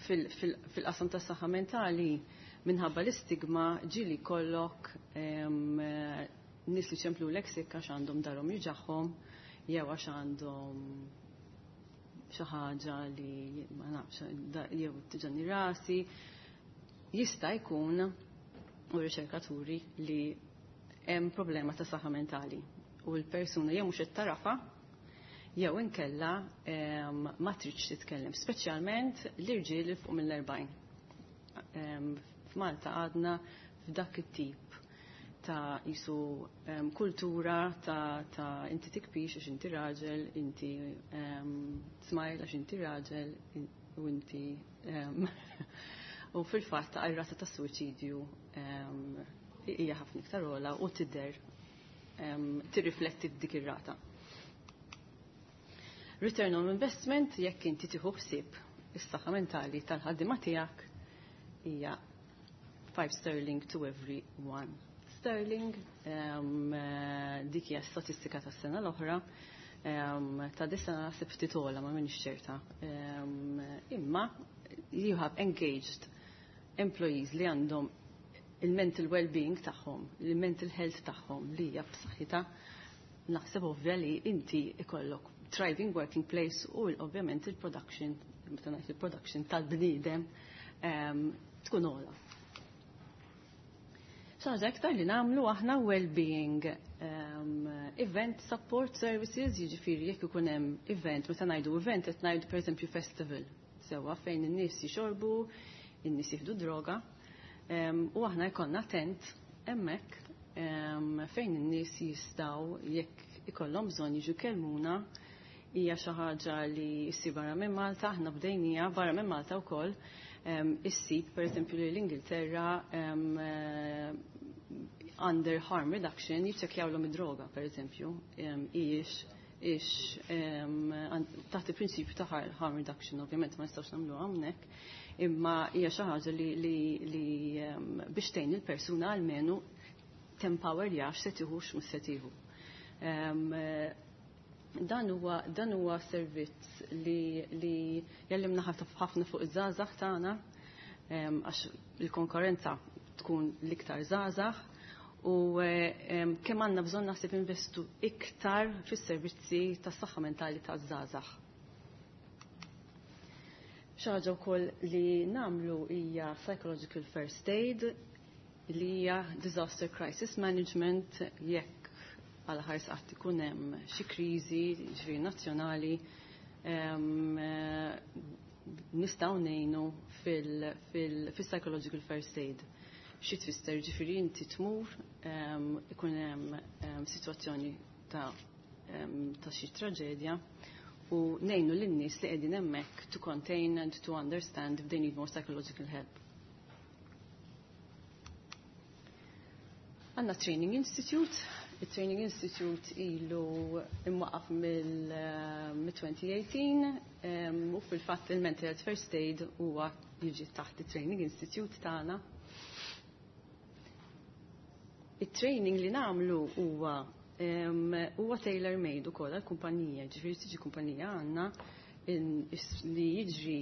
fil-qasam tas saħħa mentali minħabba l-istigma ġieli kollok nies li ċemplu l sick għax għandhom darhom juġagħhom jew għax għandhom xi ħaġa li ma nafx jew tiġani rasi. Jista' jkun u riċerkaturi li hemm problema ta' saħħa mentali u l-persuna jew mhux qed tarafa jew inkella ma tridx titkellem, speċjalment l-irġiel fuq mill-40. F'Malta għadna f'dak it-tip ta' jisu kultura ta' inti tikbix għax inti raġel, inti smile għax inti raġel, u inti. U fil-fatt ir-rata ta' suwiċidju hija ħafna iktar ogħla u tidher tirrifletti dik ir-rata. Return on investment jekk inti tieħu ħsieb is-saħħa mentali tal-ħaddiema tiegħek hija 5 sterling to every 1 sterling. Dik hija statistika tas-sena l-oħra. Ta' dis-sena naħseb ftit ogħla, ma minix ċerta. Imma you have engaged employees li għandhom il-mental well-being tagħhom, il-mental health tagħhom li hija b'saħħitha, naħseb ovvja li inti ikollok thriving working place u ovvjament il-production, meta ngħid il-production tal-bniedem tkun ogħla. Xi ħaġa iktar li nagħmlu aħna, well-being event support services, jiġifieri jekk ikun hemm event, meta ngħidu event qed ngħidu pereżempju festival, sewwa, fejn in-nies jixorbu, in-nies jieħdu droga, u aħna jkollna tent hemmhekk fejn in-nies jistgħu, jekk ikollhom bżonn, jiġu kellmuna. Hija xi ħaġa li ssir barra minn Malta, aħna bdejnija barra minn Malta wkoll, issib pereżempju li l-Ingilterra under harm reduction jiċċekkjawlhom id-droga pereżempju, ix ix taħt il-prinċipju ta' harm reduction, ovvjament ma nistgħux nagħmlu hawnhekk, imma hija xi ħaġa li biex tgħin il-persuna almenu tempower jaf se tieħu x'mhux se tieħu. Dan huwa servizz li jallimna ħafna fuq iż-żgħażagħ tagħna, għax il-konkurrenza tkun l-iktar żgħażagħ u kemm għandna bżonn naħseb investu iktar fis-servizzi tas-saħħa mentali taż-żgħażagħ. Xi ħaġa wkoll li nagħmlu hija psychological first aid, li hija disaster crisis management, jekk għal ħars qatt ikun hemm xi kriżi, ġifieri nazzjonali, nistgħu ngħinu fil-psychological first aid. Xi tfisser? Ġifieri inti tmur, ikun hemm sitwazzjoni ta' xi traġedja u ngħinu lin-nies li qegħdin hemmhekk to contain and to understand if they need more psychological help. Għandna Training Institute. Il-Training Institute ilu imwaqaf mill-2018 u fil-fatt il-Mental Health First Aid huwa jiġi taħt il-Training Institute tagħna. Il-training li nagħmlu huwa tailor made ukoll għall-kumpanija, ġifieri tiġi kumpanija għandna li jiġri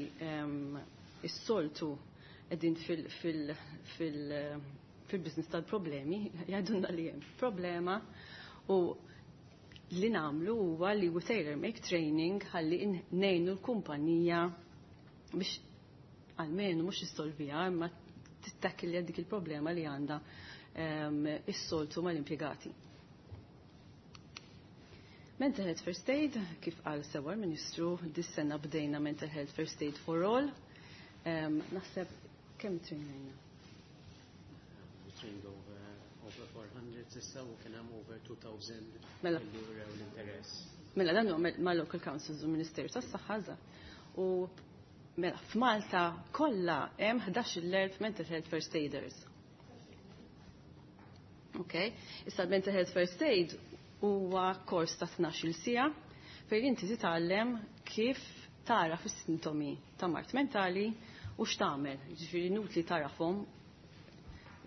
is-soltu qegħdin fil-business tal-problemi, jgħidulna li hemm problema u li nagħmlu huwa li we tailor make training ħalli ngħinu l-kumpanija biex almenu mhux issolviha imma tittakilja dik il-problema li għandha is-soltu mal-impjegati. Mental Health First Aid, kif qal sewwa l-Ministru, dis-sena bdejna Mental Health First Aid for All. Naħseb kemm trainajna? We trained over 400 s'issa u kien hemm over 2000 li wrew l-interess. Mela dan huwa ma' local councils u Ministeru tas-Saħħa żgħar. U mela f'Malta kollha hemm 11,000 mental health first aiders. Okay? Issa mental health first aid huwa kors ta' 12 siegħa fejn inti titgħallem kif tara is-sintomi ta' mard mentali u x'tagħmel. Ġifieri inutli tarafhom,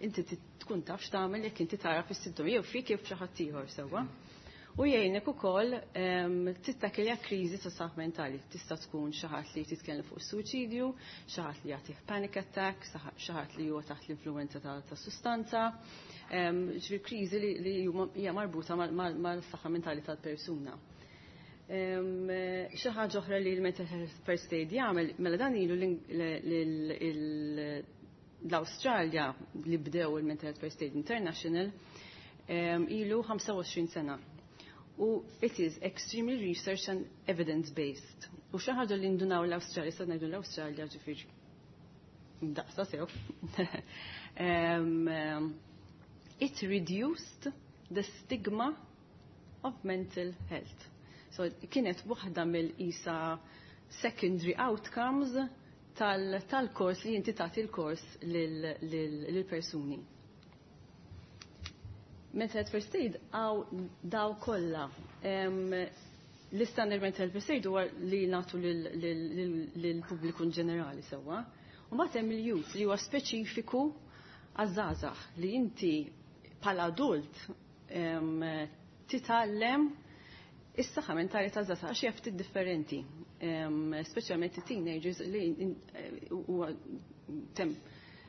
inti tkun taf x'tagħmel jekk inti tara is-sintomi jew fik jew f'xi ħadd ieħor, sewwa. U jgħinek ukoll tittakilja kriżi ta' saħħa mentali. Tista' tkun xi ħadd li titkellem fuq suwiċidju, xi ħadd li jagħtih panic attack, xi ħadd li huwa taħt l-influenza ta' sustanza. Ġifieri kriżi li hija marbuta mal-saħħa mentali tal-persuna. Xi ħaġa oħra li l-Mental Health First Aid jagħmel, mela dan ilu l-Awstralja li bdew il-Mental Health First Aid International, ilu 25 sena. U it is extremely research and evidence based. U xi ħaġa li ndunaw l-Awstralja, sa ngħidu l-Awstralja, ġifieri daqsa sew. It reduced the stigma of mental health. So kienet waħda mill-isa secondary outcomes. tal-kors li inti tagħti l-kors lill-persuni. Mental Health First Aid għaw daw kollha. L-istandard Mental Health First Aid huwa li nagħtu lill-pubbliku in ġenerali sewwa. U mbagħad hemm il-youth li huwa speċifiku għaż-żgħażagħ li inti bħala adult titgħallem is-saħħa mentali ta' żgħażagħ għax hija ftit differenti. Speċjalment it-teenagers li huwa tem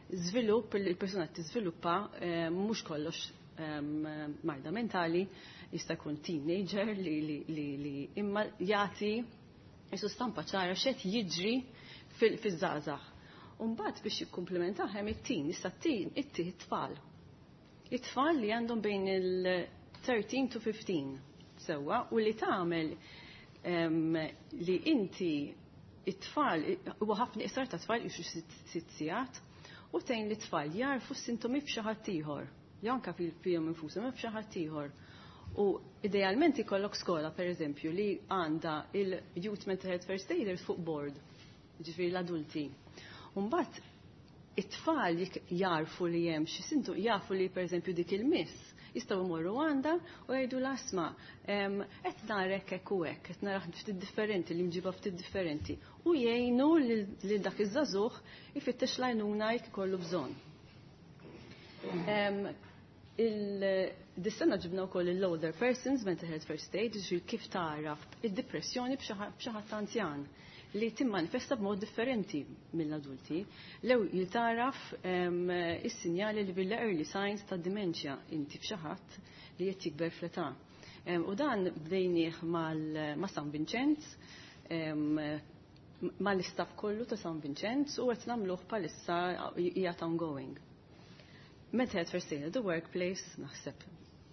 żvilupp il-persuna tiżviluppa mhux kollox marda mentali, jista' jkun teenager li imma jagħti jisu stampa ċara x'qed jiġri fiż-żgħażagħ. U mbagħad biex jikkumplementaw hemm it-teen, issa t-teen it tfal. It-tfal li għandhom bejn il-13 to 15 sewwa u li tagħmel li inti it-tfal huwa ħafna iqsar ta' tfal ixu 6 sigħat u tgħin li tfal jarfu s-sintomi f'xi ħadd ieħor. Jew anke fihom infushom f'xi ħadd ieħor. U idealment ikollok skola, per eżempju, li għandha il-Youth Mental Health First Aiders fuq board, ġifieri l-adulti. Mbagħad it-tfal jarfu li hemm xi sintu jafu li per eżempju dik il-miss jistgħu jmorru għandha u jgħidu l-asma qed narek hekk u hekk, qed narah ftit differenti, li mġiba ftit differenti. U jgħinu lil dak iż-żagħżugħ ifittex l-għajnuna jekk ikollu bżonn. Dis-sena ġibna wkoll il-older persons mental health first aid, ġifieri kif taraf id-depressjoni b'xi ħadd anzjan li timmanifesta b'mod differenti mill-adulti. Lew jiltaraf is-sinjali li bil-early signs ta' dementia inti f'xi ħadd li qed jikber fl-età. U dan bdejnieh ma' San Vincenz, mal-istaff kollu ta' San Vincenz u qed nagħmluh bħalissa qiegħed ongoing. Mental health first aid at the workplace, naħseb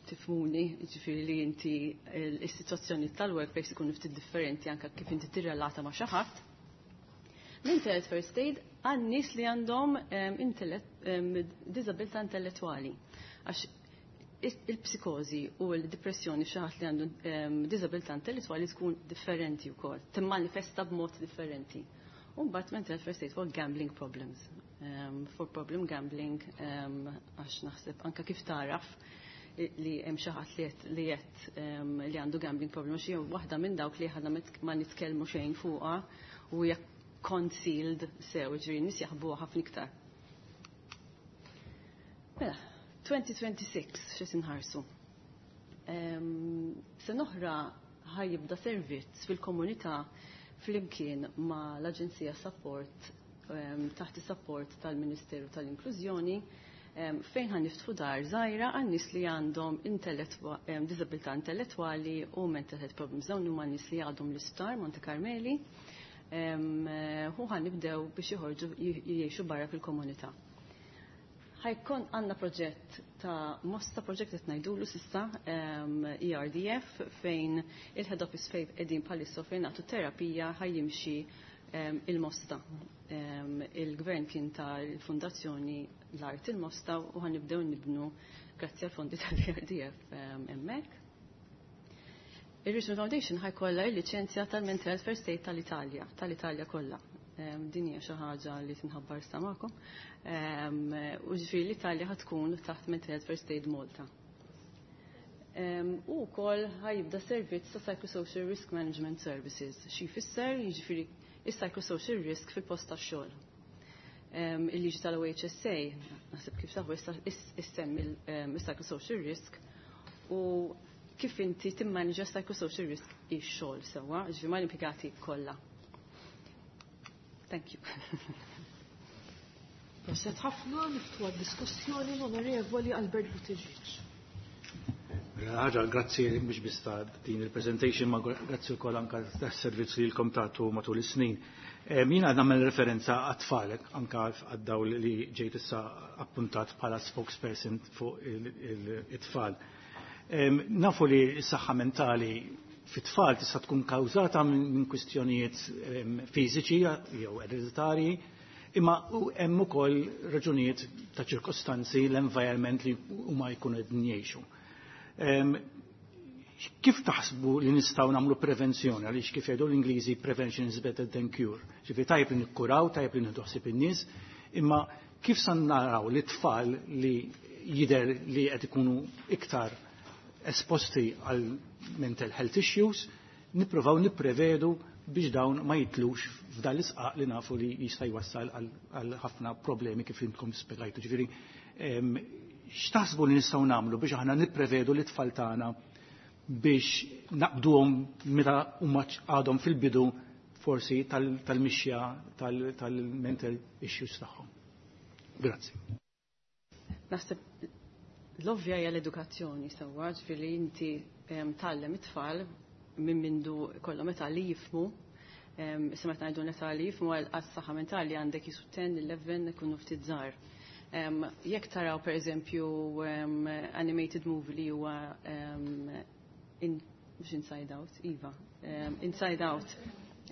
tifhmuni, ġifieri li inti il-situazzjoni tal-workplace ikunu ftit differenti anka kif inti tirrelata ma' xi ħadd. Mental health first aid għan nies li għandhom disabilità intellettwali. Għax il-psikozi u l-depressjoni f'xi ħadd li għandu disabilità intellettwali tkun differenti wkoll, timmanifesta b'mod differenti. U mbagħad mental health first aid for gambling problems. For problem gambling għax naħseb anka kif taraf li hemm xi ħadd li qed li għandu gambling problem xi waħda minn dawk li ħadna ma nitkellmu xejn fuqha u hija concealed sew, ġifieri nies jaħbuha ħafna iktar. Mela, 2026 xi tinħarsu. Sena oħra ħa jibda servizz fil-komunità flimkien ma l-Aġenzija Support taħt is-support tal-Ministeru tal-Inklużjoni fejn ħa niftħu dar żgħira għan nies li għandhom disabilità intellettwali u mental health problems. Dawn huma nies li għadhom l-isptar Monte Carmeli u ħa nibdew biex joħorġu jgħixu barra fil-komunità. Ħa jkun għandna proġett ta' Mosta project qed ngħidulu s'issa ERDF fejn il-head office fejn qegħdin bħalissa fejn nagħtu terapija ħa jimxi il-Mosta. Il-gvern kien ta l-fondazzjoni l-art il-Mosta u ħa nibdew nibnu grazzi għal fondi tal-ERDF hemmhekk. Il-Richmond Foundation ħa jkollha il-liċenzja tal-Mental Health First Aid tal-Italja, tal-Italja kollha. Din hija xi ħaġa li tinħabbar sa magħkom. U ġifieri l-Italja ħa tkun taħt Mental Health First Aid Malta. U wkoll ħa jibda servizz ta' Psychosocial Risk Management Services. Xi jfisser jiġifieri is-psychosocial risk fil-post tax-xogħol. Il-liġi tal-OHSA, naħseb kif tafu issa issemmi il-psychosocial risk u kif inti timmanġa psychosocial risk ix-xogħol sewwa, ġifieri mal-impjegati kollha. Thank you. Proset ħafna niftħu għad-diskussjoni l-Onorevoli Albert Buttigieg. Ħaġa, grazzi mhux biss ta' din il-presentation, ma grazzi wkoll anka tas-servizz li lkom tagħtu matul is-snin. Jiena nagħmel referenza għat-tfal anka għad-dawl li ġejt issa appuntat bħala spokesperson fuq it-tfal. Nafu li s-saħħa mentali fit-tfal tista' tkun kawżata minn kwistjonijiet fiżiċi jew ereditarji, imma hemm ukoll raġunijiet ta' ċirkostanzi l-environment li huma jkunu qegħdin jgħixu. Kif taħsbu li nistgħu nagħmlu prevenzjoni għaliex kif jgħidu l-Ingliżi prevention is better than cure. Ġifieri tajjeb li nikkuraw, tajjeb li nieħdu ħsieb in-nies, imma kif sa naraw li tfal li jidher li qed ikunu iktar esposti għal mental health issues, nippruvaw nipprevedu biex dawn ma jitlux f'dan l-isqaq li nafu li jista' jwassal għal ħafna problemi kif intkom spjegajtu. Ġifieri x'taħsbu li nistgħu nagħmlu biex aħna nipprevedu li tfal tagħna biex naqbduhom meta huma għadhom fil-bidu forsi tal-mixja tal-mental issues tagħhom. Grazzi. Naħseb l-ovvja hija l-edukazzjoni sewwa, ġifieri inti tgħallem it-tfal minn mindu kollhom età li jifhmu. Issa meta ngħidu età li jifhmu għas-saħħa mentali għandek jisu 10, 11 ikunu ftit żgħar. Jekk taraw pereżempju animated movie li huwa mhux Inside Out, iva, Inside Out,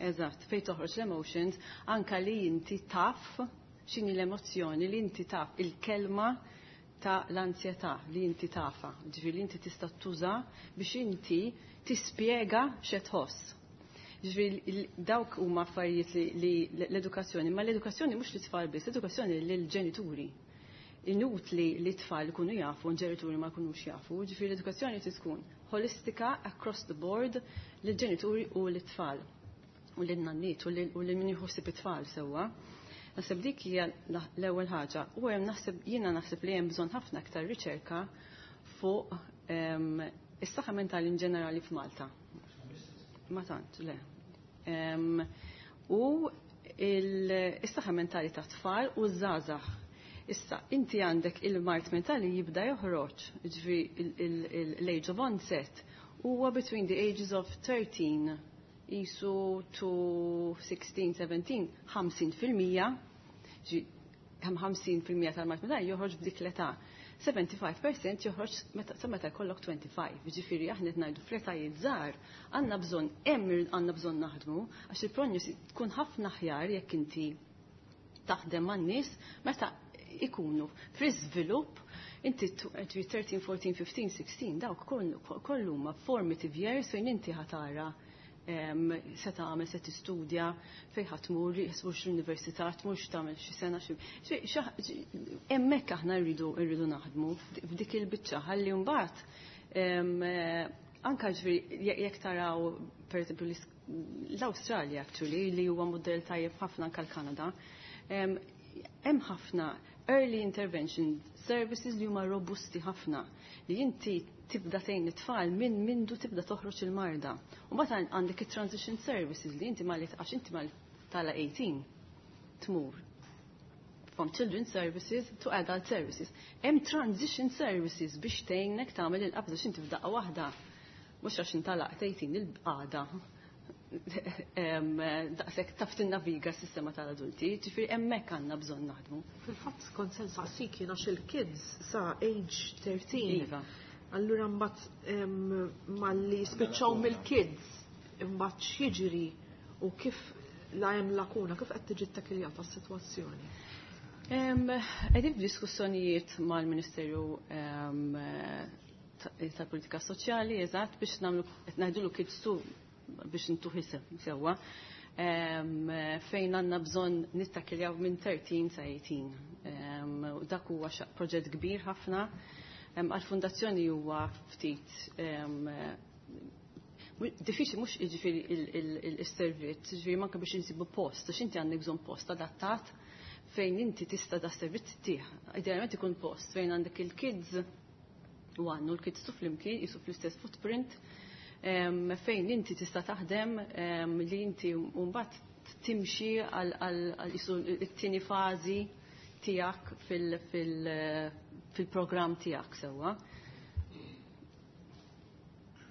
eżatt, fejn toħroġ l-emotions, anka li inti taf x'inhi l-emozzjoni, li inti taf il-kelma ta' l-ansjetà li inti tafa, ġifieri li inti tista' tuża biex inti tispjega x'qed tħoss. Ġifieri dawk huma affarijiet li l-edukazzjoni, ma l-edukazzjoni mhux lit-tfal biss, l-edukazzjoni lill-ġenituri. Inutli li t-tfal ikunu jafu, l-ġenituri ma jkunux jafu, ġifieri l-edukazzjoni trid tkun holistika across the board lill-ġenituri u l-tfal u lin-nanniet u lil min jħossib it-tfal sewwa. Naħseb dik hija l-ewwel ħaġa. U hemm naħseb jiena naħseb li hemm bżonn ħafna aktar riċerka fuq is-saħħa mentali in ġenerali f'Malta. Ma tant, le. U is-saħħa mentali ta' tfal u żgħażagħ. Issa, inti għandek il-mard mentali jibda joħroġ, ġifieri l-age of onset huwa between the ages of 13 jisu to 16, 17, 50%, hemm 50% tal-mard mentali joħroġ b'dik l-età. 75% joħroġ sa meta jkollok 25. Ġifieri aħna qed ngħidu fl-etajiet żgħar għandna bżonn hemm għandna bżonn naħdmu għax il-prognosi tkun ħafna aħjar jekk inti taħdem man-nies meta ikunu fl-iżvilupp inti 13, 14, 15, 16 dawk kollu huma formative years fejn inti ħatara se tagħmel se tistudja fejn ħadd tmur tmurx l-università tmurx tagħmel xi sena xi hemmhekk aħna rridu rridu naħdmu f'dik il-biċċa ħalli mbagħad anka ġifieri jekk taraw pereżempju l-Awstralja actually li huwa mudell tajjeb ħafna anke l-Kanada hemm ħafna early intervention services li huma robusti ħafna li inti tibda tgħin it-tfal minn mindu tibda toħroġ il-marda. U mbagħad għandek it-transition services li inti malli għax inti mal tala 18 tmur from children services to adult services. Hemm transition services biex tgħinek tagħmel il-qabża x'inti f'daqqa waħda mhux għax intalaq 18 il-qagħda daqshekk taf tinnaviga s-sistema tal-adulti, ġifieri hemmhekk għandna bżonn naħdmu. Fil-fatt kont se nsaqsik jien għax il-kids sa age 13. Iva. Allura mbagħad malli spiċċaw mill-kids imbagħad x'jiġri u kif la hemm lakuna, kif qed tiġi ttakkiljata s-sitwazzjoni? Qegħdin f'diskussjonijiet mal-Ministeru tal-Politika Soċjali, eżatt, biex nagħmlu qed ngħidulu kids tu biex intuh isem sewwa. Fejn għandna bżonn nittakiljaw minn 13 sa 18. U dak huwa proġett kbir ħafna. Għal-fundazzjoni huwa ftit diffiċli mhux jiġifieri il-servizz, jiġifieri manka biex insibu post, għax inti għandek bżonn post adattat fejn inti tista' da servizz tih. Idealment ikun post fejn għandek il-kids u għannu l-kids tu flimkien jisu fl-istess footprint fejn inti tista' taħdem li inti mbagħad timxi għal jisu t-tieni fażi tiegħek fil-programm tiegħek sewwa.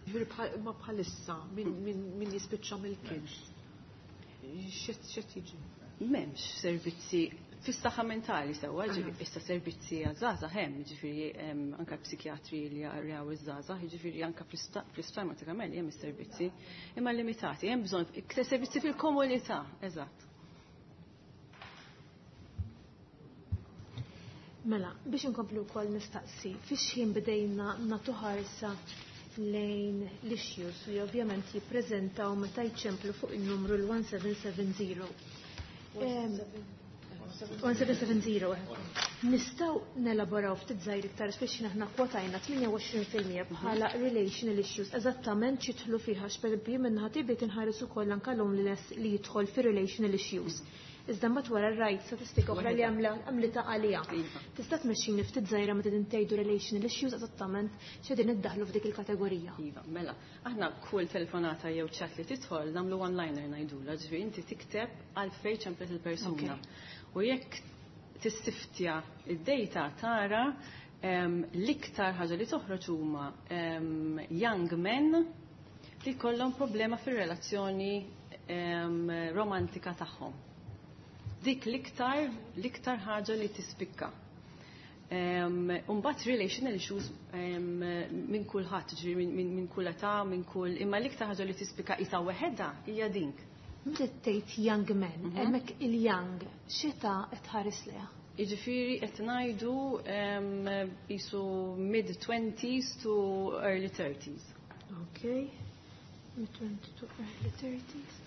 Ġifieri ma bħalissa min jispiċċa mill-kids. X'qed jiġri? M'hemmx servizzi fis-saħħa mentali sewwa, ġifieri issa servizzi għaż-żgħażagħ hemm, ġifieri anke psikjatri li jaraw iż-żgħażagħ, jiġifieri anke fl-isptar Mater Carmeli hemm is-servizzi, imma limitati, hemm bżonn iktar servizzi fil-komunità, eżatt. Mela, biex inkomplu wkoll nistaqsi, fix ħin bdejna nagħtu ħarsa lejn l-issues li ovvjament jippreżentaw meta jċemplu fuq il-numru l-1770. 1770. Nistgħu nelaboraw ftit żgħir iktar speċi aħna kwotajna 28% bħala relational issues eżattament x'jidħlu fiha x'pereżempju minnaħa tiegħi inħares ukoll anke loneliness li jidħol fi relational issues. Iżda mbagħad wara rajt statistika oħra li għamlita għalija. Tista' tmexxini ftit żgħira meta din tgħidu relational issues eżattament x'qegħdin iddaħlu f'dik il-kategorija. Iva, mela, aħna kull telefonata jew chat li tidħol nagħmlu one-liner ngħidulha, ġifieri inti tikteb għalfejn ċemplet il-persuna. U jekk tissiftja id-data tara l-iktar ħaġa li toħroġ huma young men li jkollhom problema fir-relazzjoni romantika tagħhom. Dik l-iktar ħaġa li tispikka. Umbagħad relational issues minn kulħadd, ġifieri minn kull età, minn kull, imma l-iktar ħaġa li tispikka isa weħedha hija dink. Meta tgħid young men, hemmhekk il-young x'età qed tħares leha? Jiġifieri qed ngħidu qisu mid-20s to early 30s. Okay. Mid-20 to early 30s.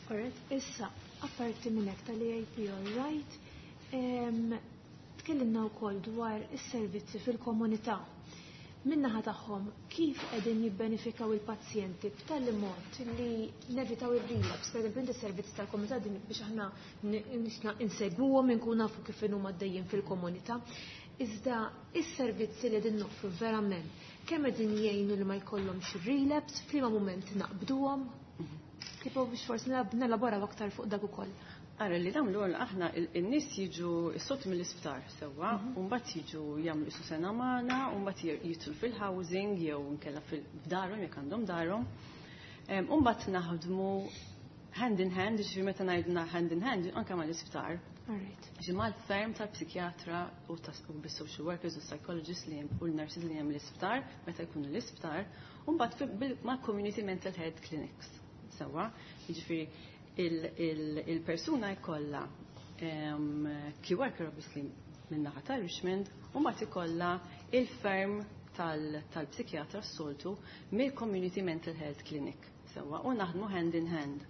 Alright, issa, apparti minn hekk tal-EAP, all right, tkellimna wkoll dwar is-servizzi fil-komunità. Min-naħa tagħhom kif qegħdin jibbenefikaw il-pazjenti b'tali mod li nevitaw ir-relapse, per eżempju inti servizzi tal-komunità din biex aħna nisna insegwuhom inkun nafu kif huma għaddejjin fil-komunità. Iżda is-servizzi li qegħdin noffru verament kemm qegħdin jgħinu li ma jkollhomx relapse, f'liema mument naqbduhom? Tipo biex forsi nelaboraw aktar fuq dak ukoll. Ara li dawn l aħna in-nies jiġu s-sot mill-isptar sewwa, u mbagħad jiġu jagħmlu isu sena magħna, u mbagħad jidħlu fil-housing jew nkella fil-darhom jekk għandhom darhom. U mbagħad naħdmu hand in hand, ġifieri meta ngħidna hand in hand anke mal-isptar. Ġi mal-ferm tal-psikjatra u bis-social workers u psychologists li hemm u l-nurses li hemm l-isptar meta jkunu l-isptar, u mbagħad mal-community mental health clinics. Sewwa, jiġifieri il-persuna jkollha key worker obviously min-naħa ta' Richmond u mbagħad ikollha il-ferm tal-psikjatra s-soltu mill-Community Mental Health Clinic. Sewwa, u naħdmu hand in hand.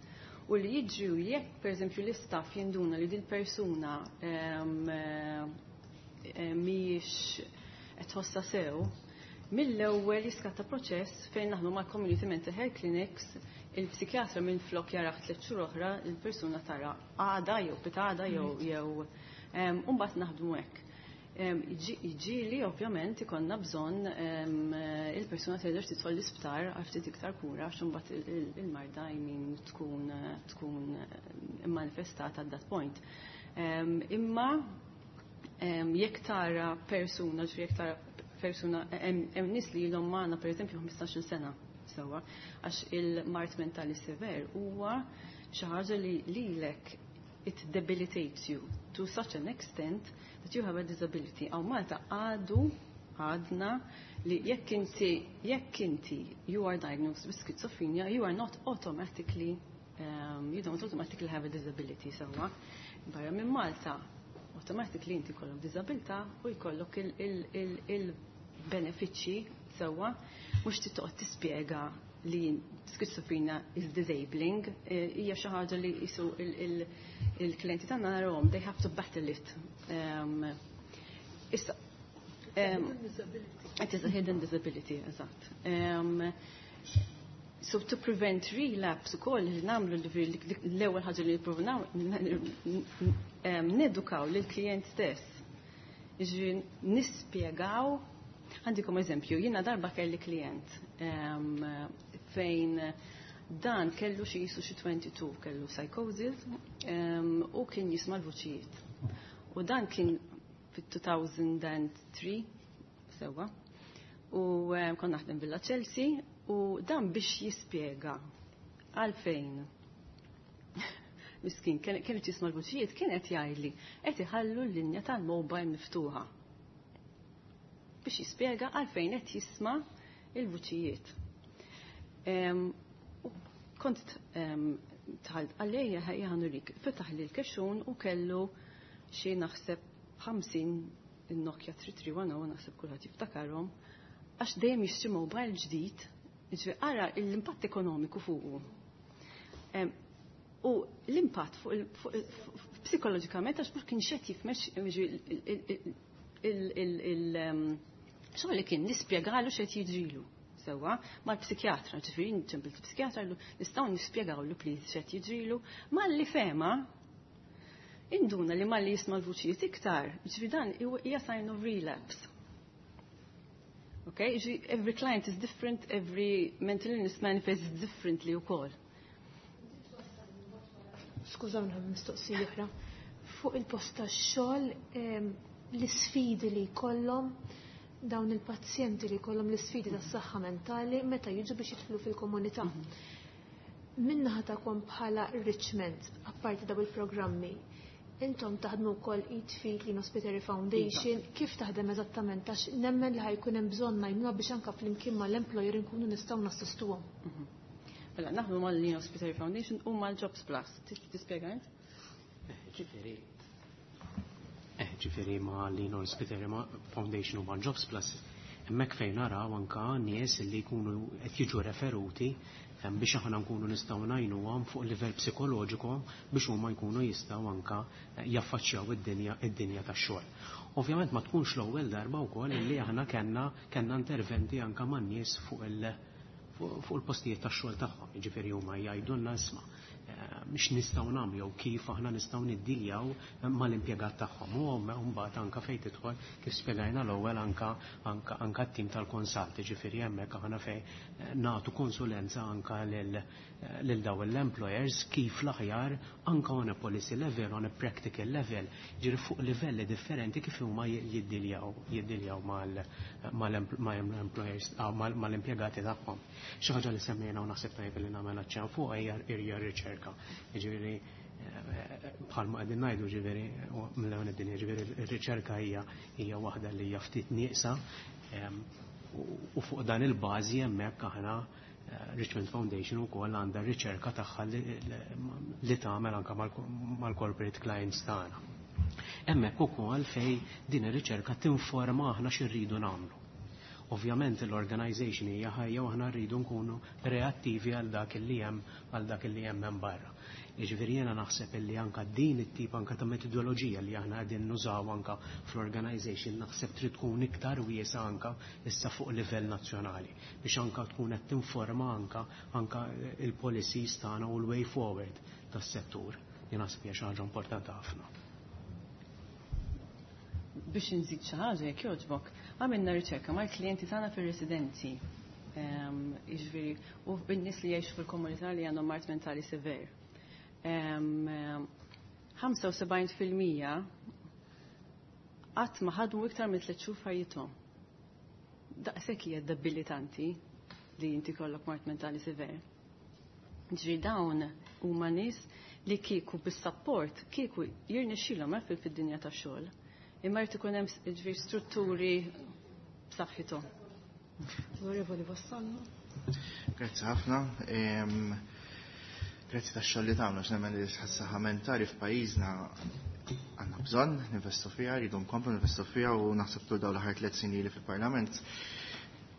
U li jiġri jekk pereżempju l-istaff jinduna li dil-persuna mhijiex qed tħossha sew, mill-ewwel jiskatta proċess fejn naħdmu mal-Community Mental Health Clinics, il-psikjatra minn flok jaraħ 3 xhur oħra, il-persuna tara għada jew pitada jew u mbagħad naħdmu hekk. Ġieli ovvjament ikollna bżonn il-persuna terġa' tidħol l-isptar għal ftit iktar kura għax imbagħad il-marda tkun manifestata at that point. Imma jekk tara persuna, ġifieri jekk tara persuna, hemm nies li ilhom magħna pereżempju 15-il sena sewwa, għax il-mard mentali sever huwa xi ħaġa li lilek it debilitates you to such an extent that you have a disability. Hawn Malta għadna li jekk inti you are diagnosed with schizophrenia, you are not automatically, you don't automatically have a disability sewwa. Barra minn Malta, automatically inti jkollok disabilità u jkollok il-benefiċċji sewwa, mhux tittoqgħod tispjega li schizophrenia is disabling, hija xi ħaġa li jisu il-klienti tagħna narahom, they have to battle it. Issa, it is a hidden disability, eżatt. So to prevent relapse ukoll li nagħmlu l-ewwel ħaġa li nippruvaw nedukaw lill-klijent stess. Jiġifieri nispjegaw. Għandikom eżempju, jiena darba kelli klient fejn dan kellu xi jisu xi 22, kellu psychosis u kien jisma' l-vuċijiet. U dan kien fit-2003 sewwa. U konna naħdem Villa Chelsea u dan biex jispjega għalfejn. Miskin, kien jisma' l-vuċijiet, kien qed jgħidli qed iħallu l-linja tal-mobile miftuħa. Biex jispjega għalfejn qed jisma' il-vuċijiet. U kont tħalt għalija ħajja ħanurik, fetaħ li l-kexxun u kellu xi naħseb 50 il-Nokia 3310 naħseb kulħadd jiftakarhom, għax dejjem jixtri mobile ġdid, jiġifieri ara l-impatt ekonomiku fuqu. U l-impatt fuq psikoloġikament għax mhux kien xed jifmex xogħol li kien nispjegalu x'qed jiġrilu sewwa mal-psikjatra, ġifieri nċempel psikjatra nistgħu nispjegawlu please x'qed jiġrilu, malli fema induna li malli jisma' l-vuċijiet iktar, ġifieri dan hija sign of relapse. Okay, ġifieri every client is different, every mental illness manifests differently wkoll. Skużawni mistoqsija oħra. Fuq il-post tax-xogħol l-isfidi li jkollhom dawn il-pazjenti li jkollhom l-isfidi tas-saħħa mentali meta jiġu biex jidħlu fil-komunità. Min-naħa tagħkom bħala Richmond, apparti daw il-programmi, intom taħdmu wkoll id f'id Lino Spiteri Foundation, kif taħdem eżattament għax nemmen li ħa jkun hemm bżonn ngħinuha biex anke flimkien mal-employer inkunu nistgħu nassistuhom. Mela, naħdmu mal-Lino Spiteri Foundation u mal-Jobs Plus. Tispjega int? Ġifieri ma' Lino Spiteri Foundation u ma' Jobs Plus, hemmhekk fejn naraw anka nies li jkunu qed jiġu referuti biex aħna nkunu nistgħu ngħinuhom fuq livell psikoloġiku biex huma jkunu jistgħu anka jaffaċċjaw id-dinja tax-xogħol. Ovvjament ma tkunx l-ewwel darba wkoll li aħna kellna interventi anka man-nies fuq il-postijiet tax-xogħol tagħhom. Jiġifieri huma jgħidulna isma' mhix nistgħu nagħmlu jew kif aħna nistgħu niddiljaw mal-impjegat tagħhom. U mbagħad anka fejn tidħol kif spjegajna l-ewwel anka anka t-tim tal-konsalt, jiġifieri hemmhekk aħna fejn nagħtu konsulenza anka lil daw l-employers kif l-aħjar anka on a policy level, on a practical level, ġifieri fuq livelli differenti kif huma jiddiljaw mal-employers, mal-impjegati tagħhom. Xi ħaġa li semmejna u naħseb tajjeb li nagħmel aċċenn fuq hija r-riċerka. Ġifieri bħalma qegħdin ngħidu ġifieri mill-ewwel id-dinja ġifieri r-riċerka hija waħda li hija ftit nieqsa u fuq dan il-bażi hemmhekk aħna Richmond Foundation ukoll għandha r-riċerka tagħha li tagħmel anke mal-corporate clients tagħna. Hemmhekk ukoll fejn din ir-riċerka tinforma aħna x'irridu nagħmlu. Ovvjament l-organization hija ħajja u aħna rridu nkunu reattivi għal dak li hemm għal dak li hemm hemm barra. Jiġifieri jiena naħseb illi anka din it-tip anka ta' metodoloġija li aħna qegħdin nużaw anka fl-organization naħseb trid tkun iktar wiesa anka issa fuq livell nazzjonali biex anka tkun qed tinforma anka il-policies tagħna u l-way forward tas-settur. Jien naħseb hija xi ħaġa importanti ħafna. Biex nżid xi ħaġa jekk jogħġbok, għamilna riċerka mal-klijenti tagħna fir-residenzi. Jiġifieri u bin-nies li jgħixu fil-komunità li għandhom mard mentali sever. 75% qatt ma ħadmu iktar minn 3 xhur f'ħajjithom. Daqshekk hija debilitanti li inti kollok mard mentali sever. Ġifieri dawn huma nies li kieku bis-support kieku jirnexxilhom fid-dinja tax-xogħol. Imma jrid ikun hemm ġifieri strutturi b'saħħithom. Onorevoli Vassallo. Grazzi ħafna. Grazzi tax-xogħol li tagħmlu għax nemmen li s-saħħa mentali f'pajjiżna għandna bżonn ninvestu fiha, rridu nkomplu ninvestu fiha u naħseb tul dawn l-aħħar 3 snin li fil-Parlament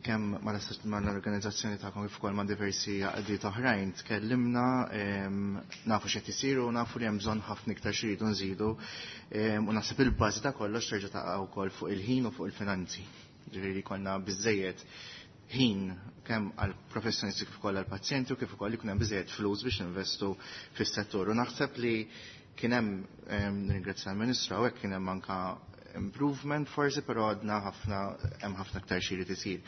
kemm mal-organizzazzjoni tagħkom kif ukoll ma' diversi għaqdiet oħrajn tkellimna, nafu x'qed isiru u nafu li hemm bżonn ħafna iktar xi rridu nżidu u naħseb il-bażi ta' kollox terġa' taqa' wkoll fuq il-ħin u fuq il-finanzi. Ġifieri konna biżejjed ħin kemm għal professjonisti kif ukoll għal pazjenti u kif ukoll ikun hemm biżejjed flus biex ninvestu fis-settur. U naħseb li kien hemm, nirringrazzja l-Ministru hawnhekk, kien hemm anka improvement forsi, però għadna ħafna, hemm ħafna aktar xi jrid isir.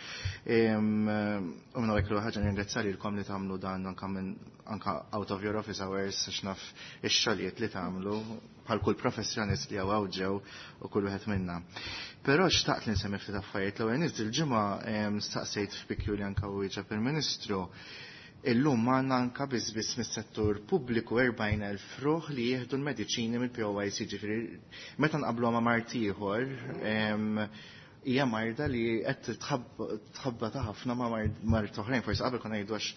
U minn hawnhekk l-ħaġa nirringrazzja lilkom li tagħmlu dan anka minn anka out of your office hours għax naf ix-xogħlijiet li tagħmlu bħal kull professjonist li hawn ġew u kull wieħed minna. Però xtaqt li nsemmi ftit affarijiet. L-ewwel nies il-ġimgħa staqsejt f'PQ li anka wieġeb il-Ministru. Illum għandna anka biss biss mis-settur pubbliku 40,000 ruħ li jieħdu l-mediċini mill-POYC, ġifieri meta nqablu ma' mard ieħor, Hija marda li qed tħabba ta' ħafna ma' mard oħrajn, forsi qabel konna ngħidu għax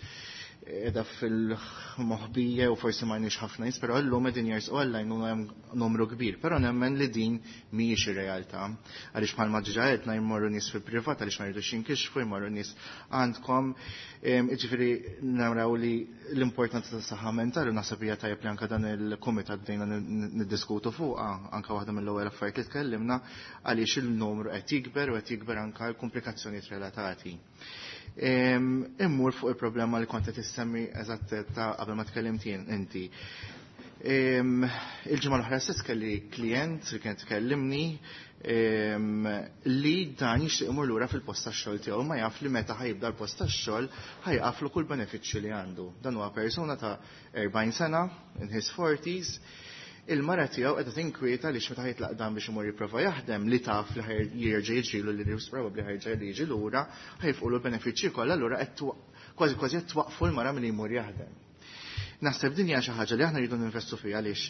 qiegħda fil-moħbija u forsi ma nix ħafna nies, però llum qegħdin jersqu għall-għajnuna hemm numru kbir, però nemmen li din mhijiex ir-realtà. Għaliex bħalma ġiġa għedna jmorru nies fil-privat għaliex ma jridux jinkixfu, jmorru nies għandkom. Jiġifieri naraw li l-importanza tas saħħa mentali u naħseb hija tajjeb li anke dan il-kumitat bdejna niddiskutu fuqha, anke waħda mill-ewwel affarijiet li tkellimna għaliex il-numru qed jikber u qed jikber anke l-komplikazzjonijiet relatati. Immur fuq il-problema li kont qed issemmi eżatt ta' qabel ma tkellimt jien inti. Il-ġimgħa l-oħra stess kelli klient li kien tkellimni li dan jixtieq imur lura fil-post tax-xogħol tiegħu ma jaf li meta ħajibda l-post tax-xogħol ħajqaflu kull benefiċċju li għandu. Dan huwa persuna ta' 40 sena, in his 40s, il-mara tiegħu qiegħda tinkwieta li meta ħajtlaq dan biex imur jipprova jaħdem li taf li jerġa' jiġrilu li probabbli ħajġa li jiġi lura, ħajfqulu l-benefiċċji kollha allura qed kważi kważi qed twaqfu l-mara milli jmur jaħdem. Naħseb din hija xi ħaġa li aħna rridu ninvestu fiha għaliex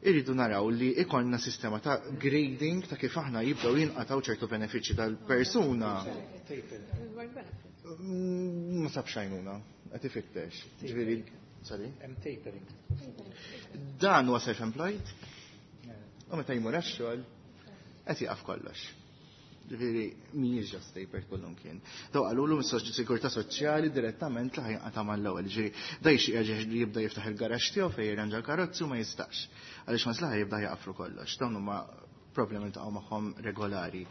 irridu naraw li ikollna sistema ta' grading ta' kif aħna jibdew jinqataw ċertu benefiċċji tal-persuna. Ma sabx għajnuna, qed ifittex. Ġifieri, sorry? Hemm tapering. Dan huwa self-employed. U meta jmur għax-xogħol qed jaqaf kollox. Ġifieri mhijiex just tapered kullum kien. Daw qalulu mis-sigurtà soċjali direttament li ħajqata' mal-ewwel. Ġifieri da jixtieq li jibda jiftaħ il-garaxx tiegħu fejn jirranġa l-karozzi u ma jistax. Għaliex ma slaħ jibda jaqaflu kollox. Dawn huma problemi ta' magħhom regolari.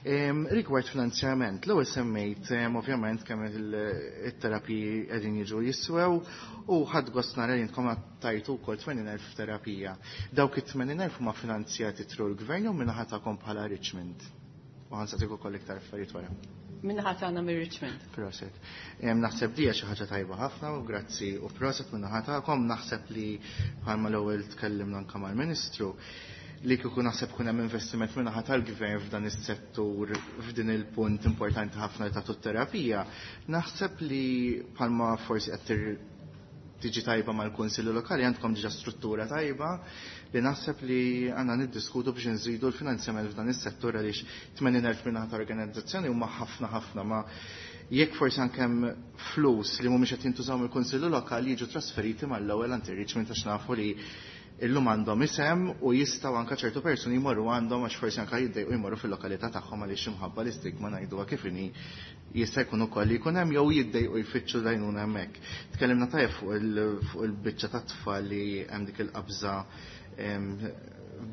Rigward finanzjament, l-ewwel semmejt ovvjament kemm it-terapiji qegħdin jiġu jiswew u ħadd gost nara li intkom tajtu wkoll 80,000 terapija. Dawk it-80,000 huma finanzjati through l-gvern jew min-naħa tagħkom bħala Richmond? U ħansaqsik ukoll iktar affarijiet wara. Min-naħa tagħna mir-Richmond. Proset. Naħseb dija xi ħaġa tajba ħafna u grazzi u proset min-naħa tagħkom. Naħseb li bħalma l-ewwel tkellimna anke mal-Ministru li kieku naħseb kun hemm investiment min-naħa tal-gvern f'dan is-settur f'din il-punt importanti ħafna li tagħtu terapija, naħseb li bħalma forsi qed tiġi tajba mal-Kunsilli Lokali għandkom diġà struttura tajba li naħseb li għandna niddiskutu biex nżidu l-finanzjament f'dan is-settur għaliex 80,000 min-naħa ta' organizzazzjoni huma ħafna ħafna ma jekk forsi anke hemm flus li mhumiex qed jintużaw mill-Kunsilli Lokali jiġu trasferiti mal-ewwel għand ir-Richmond għax nafu li illum għandhom isem u jistgħu anke ċertu persuni jmorru għandhom għax forsi anke jiddejqu jmorru fil-lokalità tagħhom għaliex imħabba l-istigma ngħiduha kif inhi jista' jkun ukoll li jkun hemm jew jiddejqu jfittxu l-għajnuna hemmhekk. Tkellimna tajjeb fuq il-biċċa tat-tfal li hemm dik il-qabża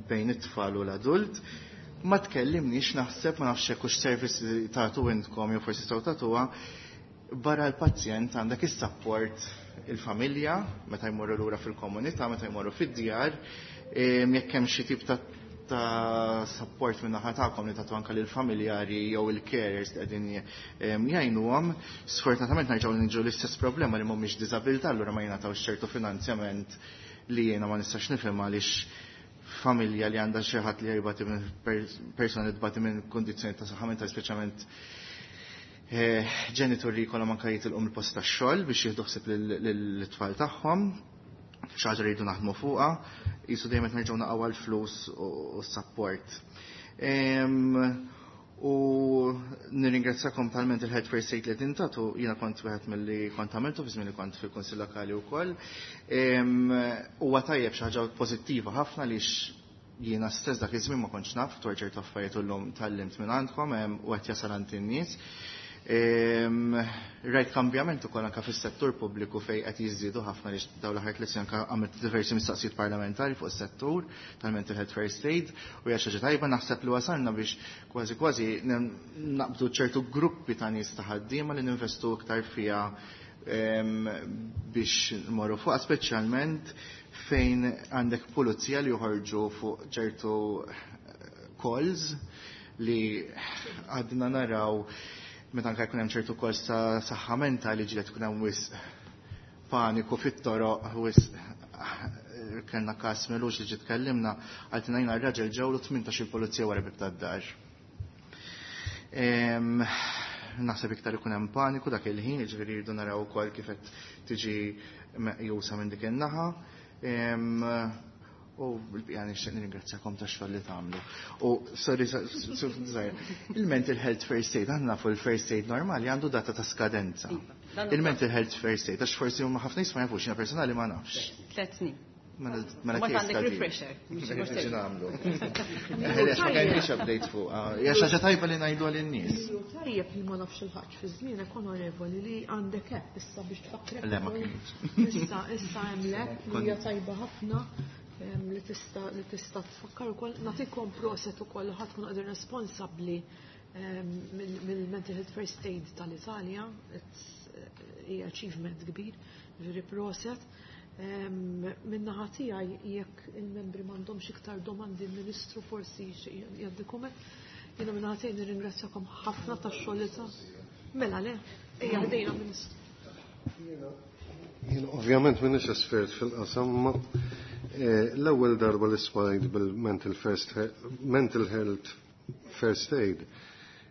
bejn it-tfal u l-adult. Ma tkellimniex naħseb ma nafx hekk hux service li tagħtu intkom jew forsi tistgħu tagħtuha barra l-pazjent għandek is-support il-familja meta jmorru lura fil-komunità, meta jmorru fid-djar, jekk hemm xi tip ta' support minn naħa tagħkom li tagħtu anke lill-familjari jew il-carers li qegħdin jgħinuhom, sfortunatament nerġgħu niġu l-istess problema li mhumiex diżabilità, allura ma jingħatawx ċertu finanzjament li jiena ma nistax nifhem għaliex familja li għandha xi ħadd li jbati minn persuna li tbati minn kundizzjoni ta' saħħa mentali, speċjalment ġenituri jkollhom anke jitilqu mill-post tax-xogħol biex jieħdu ħsieb lill-tfal tagħhom, xi ħaġa rridu naħdmu fuqha, qisu dejjem qed nerġgħu naqgħu għall-flus u s-support. U nirringrazzakom tal-mental health first aid li tintatu, jiena kont wieħed milli kont għamiltu fi żmien li kont fil-Kunsill Lokali wkoll. Huwa tajjeb xi ħaġa pożittiva ħafna li jiena stess dak iż-żmien ma kontx naf dwar ċertu affarijiet u llum tgħallimt minn għandkom u qed jasal għand in-nies. Rajt kambjament ukoll anke fis-settur pubbliku fejn qed jiżdiedu ħafna li dawn l-aħħar tliet snin anke għamilt diversi mistoqsijiet parlamentari fuq is-settur tal-mental health first aid u hija xi ħaġa tajba naħseb li wasalna biex kważi kważi naqbdu ċertu gruppi ta' nies ta' ħaddiema li ninvestu iktar fiha biex nmorru fuqha, speċjalment fejn għandek pulizija li joħorġu fuq ċertu calls li għadna naraw meta anke jkun hemm ċertu calls ta' saħħa mentali ġieli tkun hemm wisq paniku fit-toroq, wisq kellna każ milux li ġiet tkellimna għaltina jiena r-raġel ġewlu 18 il-pulizija wara bib tad-dar. Naħseb iktar ikun hemm paniku dak il-ħin, jiġifieri jridu naraw ukoll kif qed tiġi meqjusa minn dik in-naħa. U bil-bqija nixtieq nirringrazzjakom tax-xogħol li tagħmlu. U sorry, il-mental health first aid, aħna nafu l-first aid normali għandu data ta' skadenza. Iva, Il-mental health first aid, għax forsi huma ħafna nies ma jafux, jiena personali ma nafx. 3 snin. Mela Mbagħad għandek refresher. Mela nagħmlu. Għax ma kellix update fuq. Hija xi ħaġa tajba li ngħidu għal-nies. Tajjeb li ma nafx il-ħaġ fi żmienek onorevoli li għandek app issa biex tfakkrek. Le, ma kienx. Issa issa hemm l-app li hija tajba ħafna li tista' li tista' tfakkar ukoll. Nagħtikom proset ukoll ħadd tkun qegħdin responsabbli mill-Mental Health First Aid tal-Italja. Hija achievement kbir, ġifieri proset. Min-naħa tiegħi jekk il-membri m'għandhomx iktar domandi l-Ministru forsi jgħaddi kumment. Jiena min-naħa tiegħi nirringrazzjakom ħafna tax-xogħol li ta'. Mela le, ejja ħdejna Ministru. Jiena ovvjament m'iniex espert fil-qasam, ma l-ewwel darba li smajt bil-mental first mental health first aid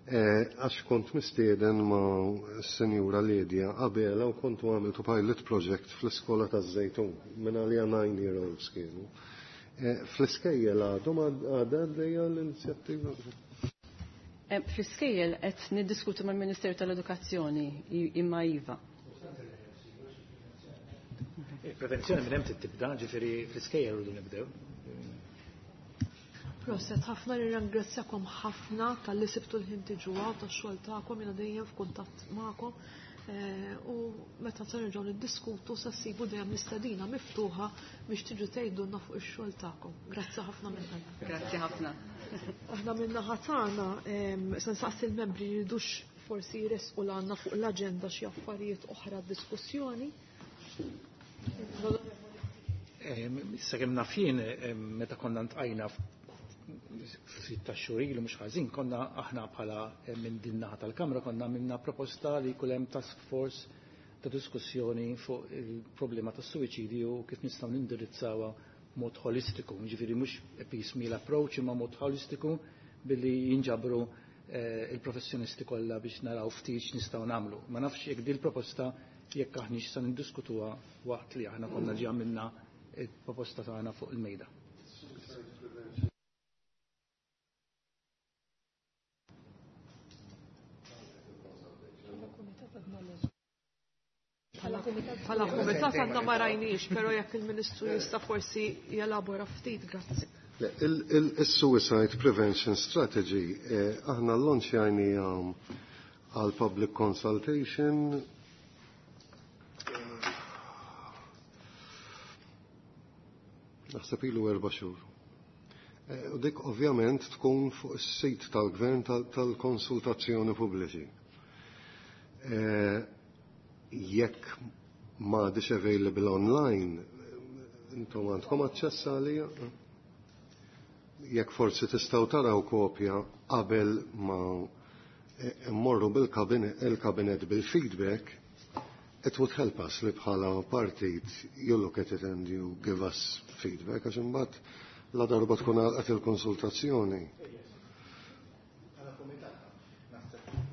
għax kont mistieden ma' s-Sinjura Lydia Abela u kontu għamiltu pilot project fl-iskola taż-Żejtun minn għalija 9-year-olds kienu. Fl-iskejjel għadhom għadha għaddejja l-inizjattiva? Fl-iskejjel qed niddiskutu mal-Ministeru tal-Edukazzjoni imma iva. Il-prevenzjoni minn hemm tibda, ġifieri fl-iskejjel rridu nibdew. Proset, ħafna nirringrazzjakom ħafna tal-li sibtu l-ħin tiġu hawn tax-xogħol tagħkom, jiena dejjem f'kuntatt magħkom. U meta se nerġgħu niddiskutu se ssibu dejjem l-istedina miftuħa biex tiġu tgħidulna fuq ix-xogħol tagħkom. Grazzi ħafna minn qalbi. Grazzi ħafna. Aħna minn naħa tagħna se nsaqsi l-membri jridux forsi jresqu l-għandna fuq l-aġenda xi affarijiet oħra diskussjoni. Issa kemm naf jien, meta konna ntqajna ftit ta' xhur ilu mhux ħażin, konna aħna bħala minn din naħa tal-Kamra konna għamilna proposta li jkun hemm task force ta' diskussjoni fuq il-problema tas-suwiċidju u kif nistgħu nindirizzawha mod holistiku, jiġifieri mhux piecemeal approach imma mod holistiku billi jinġabru il-professjonisti kollha biex naraw ftit x'nistgħu nagħmlu. Ma nafx jekk din il-proposta jekk aħniex se niddiskutuha waqt li aħna konna ġi għamilna il-proposta tagħna fuq il-mejda. Bħala kumitat għandna ma rajniex, però jekk il-Ministru jista' forsi jelabora ftit, grazzi. Il-Suicide Prevention Strategy, aħna l-launchjajnija għal public consultation. Naħseb ilu 4 xhur. U dik ovvjament tkun fuq is-sit tal-gvern tal-konsultazzjoni pubbliċi. Jekk m'għadix available online, intom għandkom aċċess għalija? Jekk forsi tistgħu taraw kopja qabel ma mmorru bil-kabinet bil-feedback, it would help us li bħala partit you look at it and you give us feedback, għax imbagħad la darba tkun għalqet il-konsultazzjoni.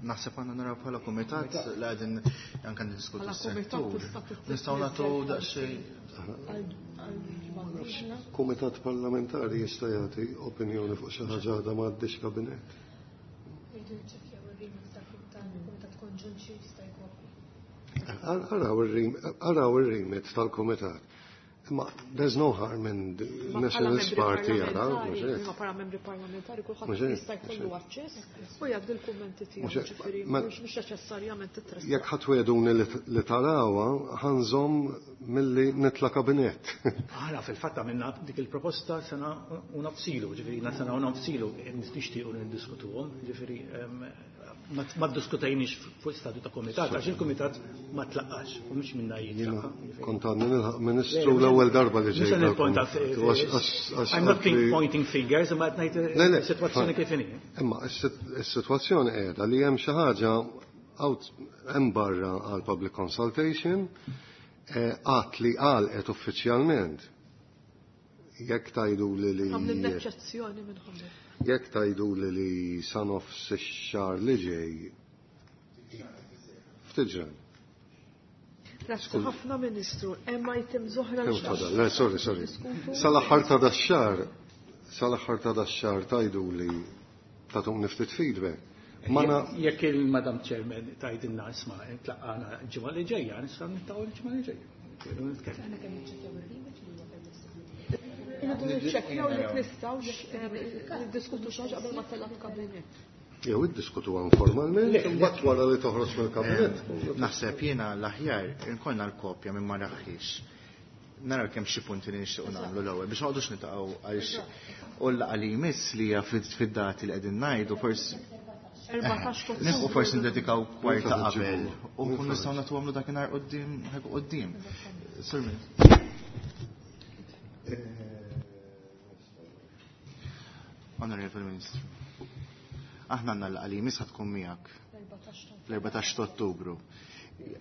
Naħseb għandna naraw bħala kumitat li qegħdin anke niddiskutu Bħala s-settur. kumitat tista' tittisni Nistgħu nagħtu daqsxejn. Kumitat parlamentari jista' jagħti opinjoni fuq xi ħaġa għadha ma għaddix kabinett. Rridu niċċekkjaw ir-remit tal-kumitat konġunt xi jista' jkopri. Araw ir-remit tal-kumitat. Ma there's no harm in the Ma bħala Nationalist membri Party jaraw, parlamentari, mhux hekk? ma bħala membri parlamentari kulħadd Mhux hekk, jista' mhux jkollu hekk. aċċess u jgħaddi l-kummenti tiegħu, Mhux hekk, ġifieri, ma mhux neċessarjament titressaq. Jekk ħadd weduni li tarawha, ħanżomm milli nitla' kabinett. Aħna fil-fatt għamilna dik il-proposta sena u nofsilu, ġifieri sena u nofsilu nixtiequ niddiskutuhom, ġifieri ma ddiskutejniex fuq stadju ta' komitat, għax il-komitat ma tlaqqax, u mhux minna jitlaqa. Jiena kont għadni nilħaq ministru l-ewwel darba li Mhux se ġejt nipponta dal-komitat. I'm not pointing fingers, imma qed ngħid Le, le, is-sitwazzjoni kif inhi. Imma is-sitwazzjoni qiegħda li hemm xi ħaġa out hemm barra għal public consultation, għad li għalqet uffiċjalment. Jekk tajdu li li Għamlin eċċezzjoni minn ħamlu. Jekk tajdu li li sa nofs ix-xahar li ġej, ftit ġran. Grazzi ħafna Ministru. Hemm item oħra Le, sorry, sorry. Sal-aħħar ta' dax-xahar, sal-aħħar ta' dax-xahar tgħiduli tagħtuni ftit feedback. Ma jekk il-Madam Chairman tgħidilna isma' tlaqqana l-ġimgħa li ġejja, nistgħu niltaqgħu l-ġimgħa li ġejja. Irridu niċċekkjaw jekk nistgħux niddiskutu xi ħaġa qabel ma tellgħu l-kabinett. Jew iddiskutuha informalment, imbagħad wara li toħroġ mill-kabinett. Naħseb jiena l-aħjar inkollna l-kopja minn ma raħħiex. Naraw kemm xi punti li nixtiequ nagħmlu l-ewwel biex noqogħdux nitaqgħu għaliex u l-laqgħa li jmiss li hija fid-dati li qegħdin ngħidu forsi Nilħqu forsi ndedikaw kwarta qabel u nkun nistgħu nagħtuhomlu dakinhar quddiem ħajku quddiem. Sur Onorevoli Ministru. Aħna għandna l-laqgħa li jmiss tkun miegħek l-14 ta' Ottubru.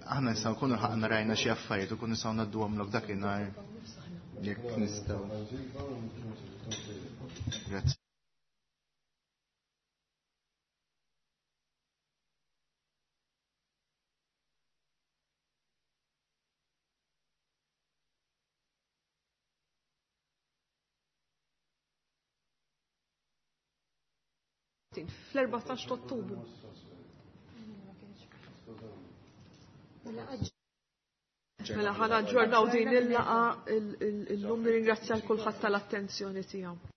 Aħna nistgħu nkunu ħaqna rajna xi affarijiet u kun nistgħu ngħadduhomlok dakinhar jekk nistgħu. Grazzi. Fl-14 ta' Ottubru. Mela ħa naġġornaw din il-laqgħa illum nirringrazzja l kulħadd tal-attenzjoni tiegħu.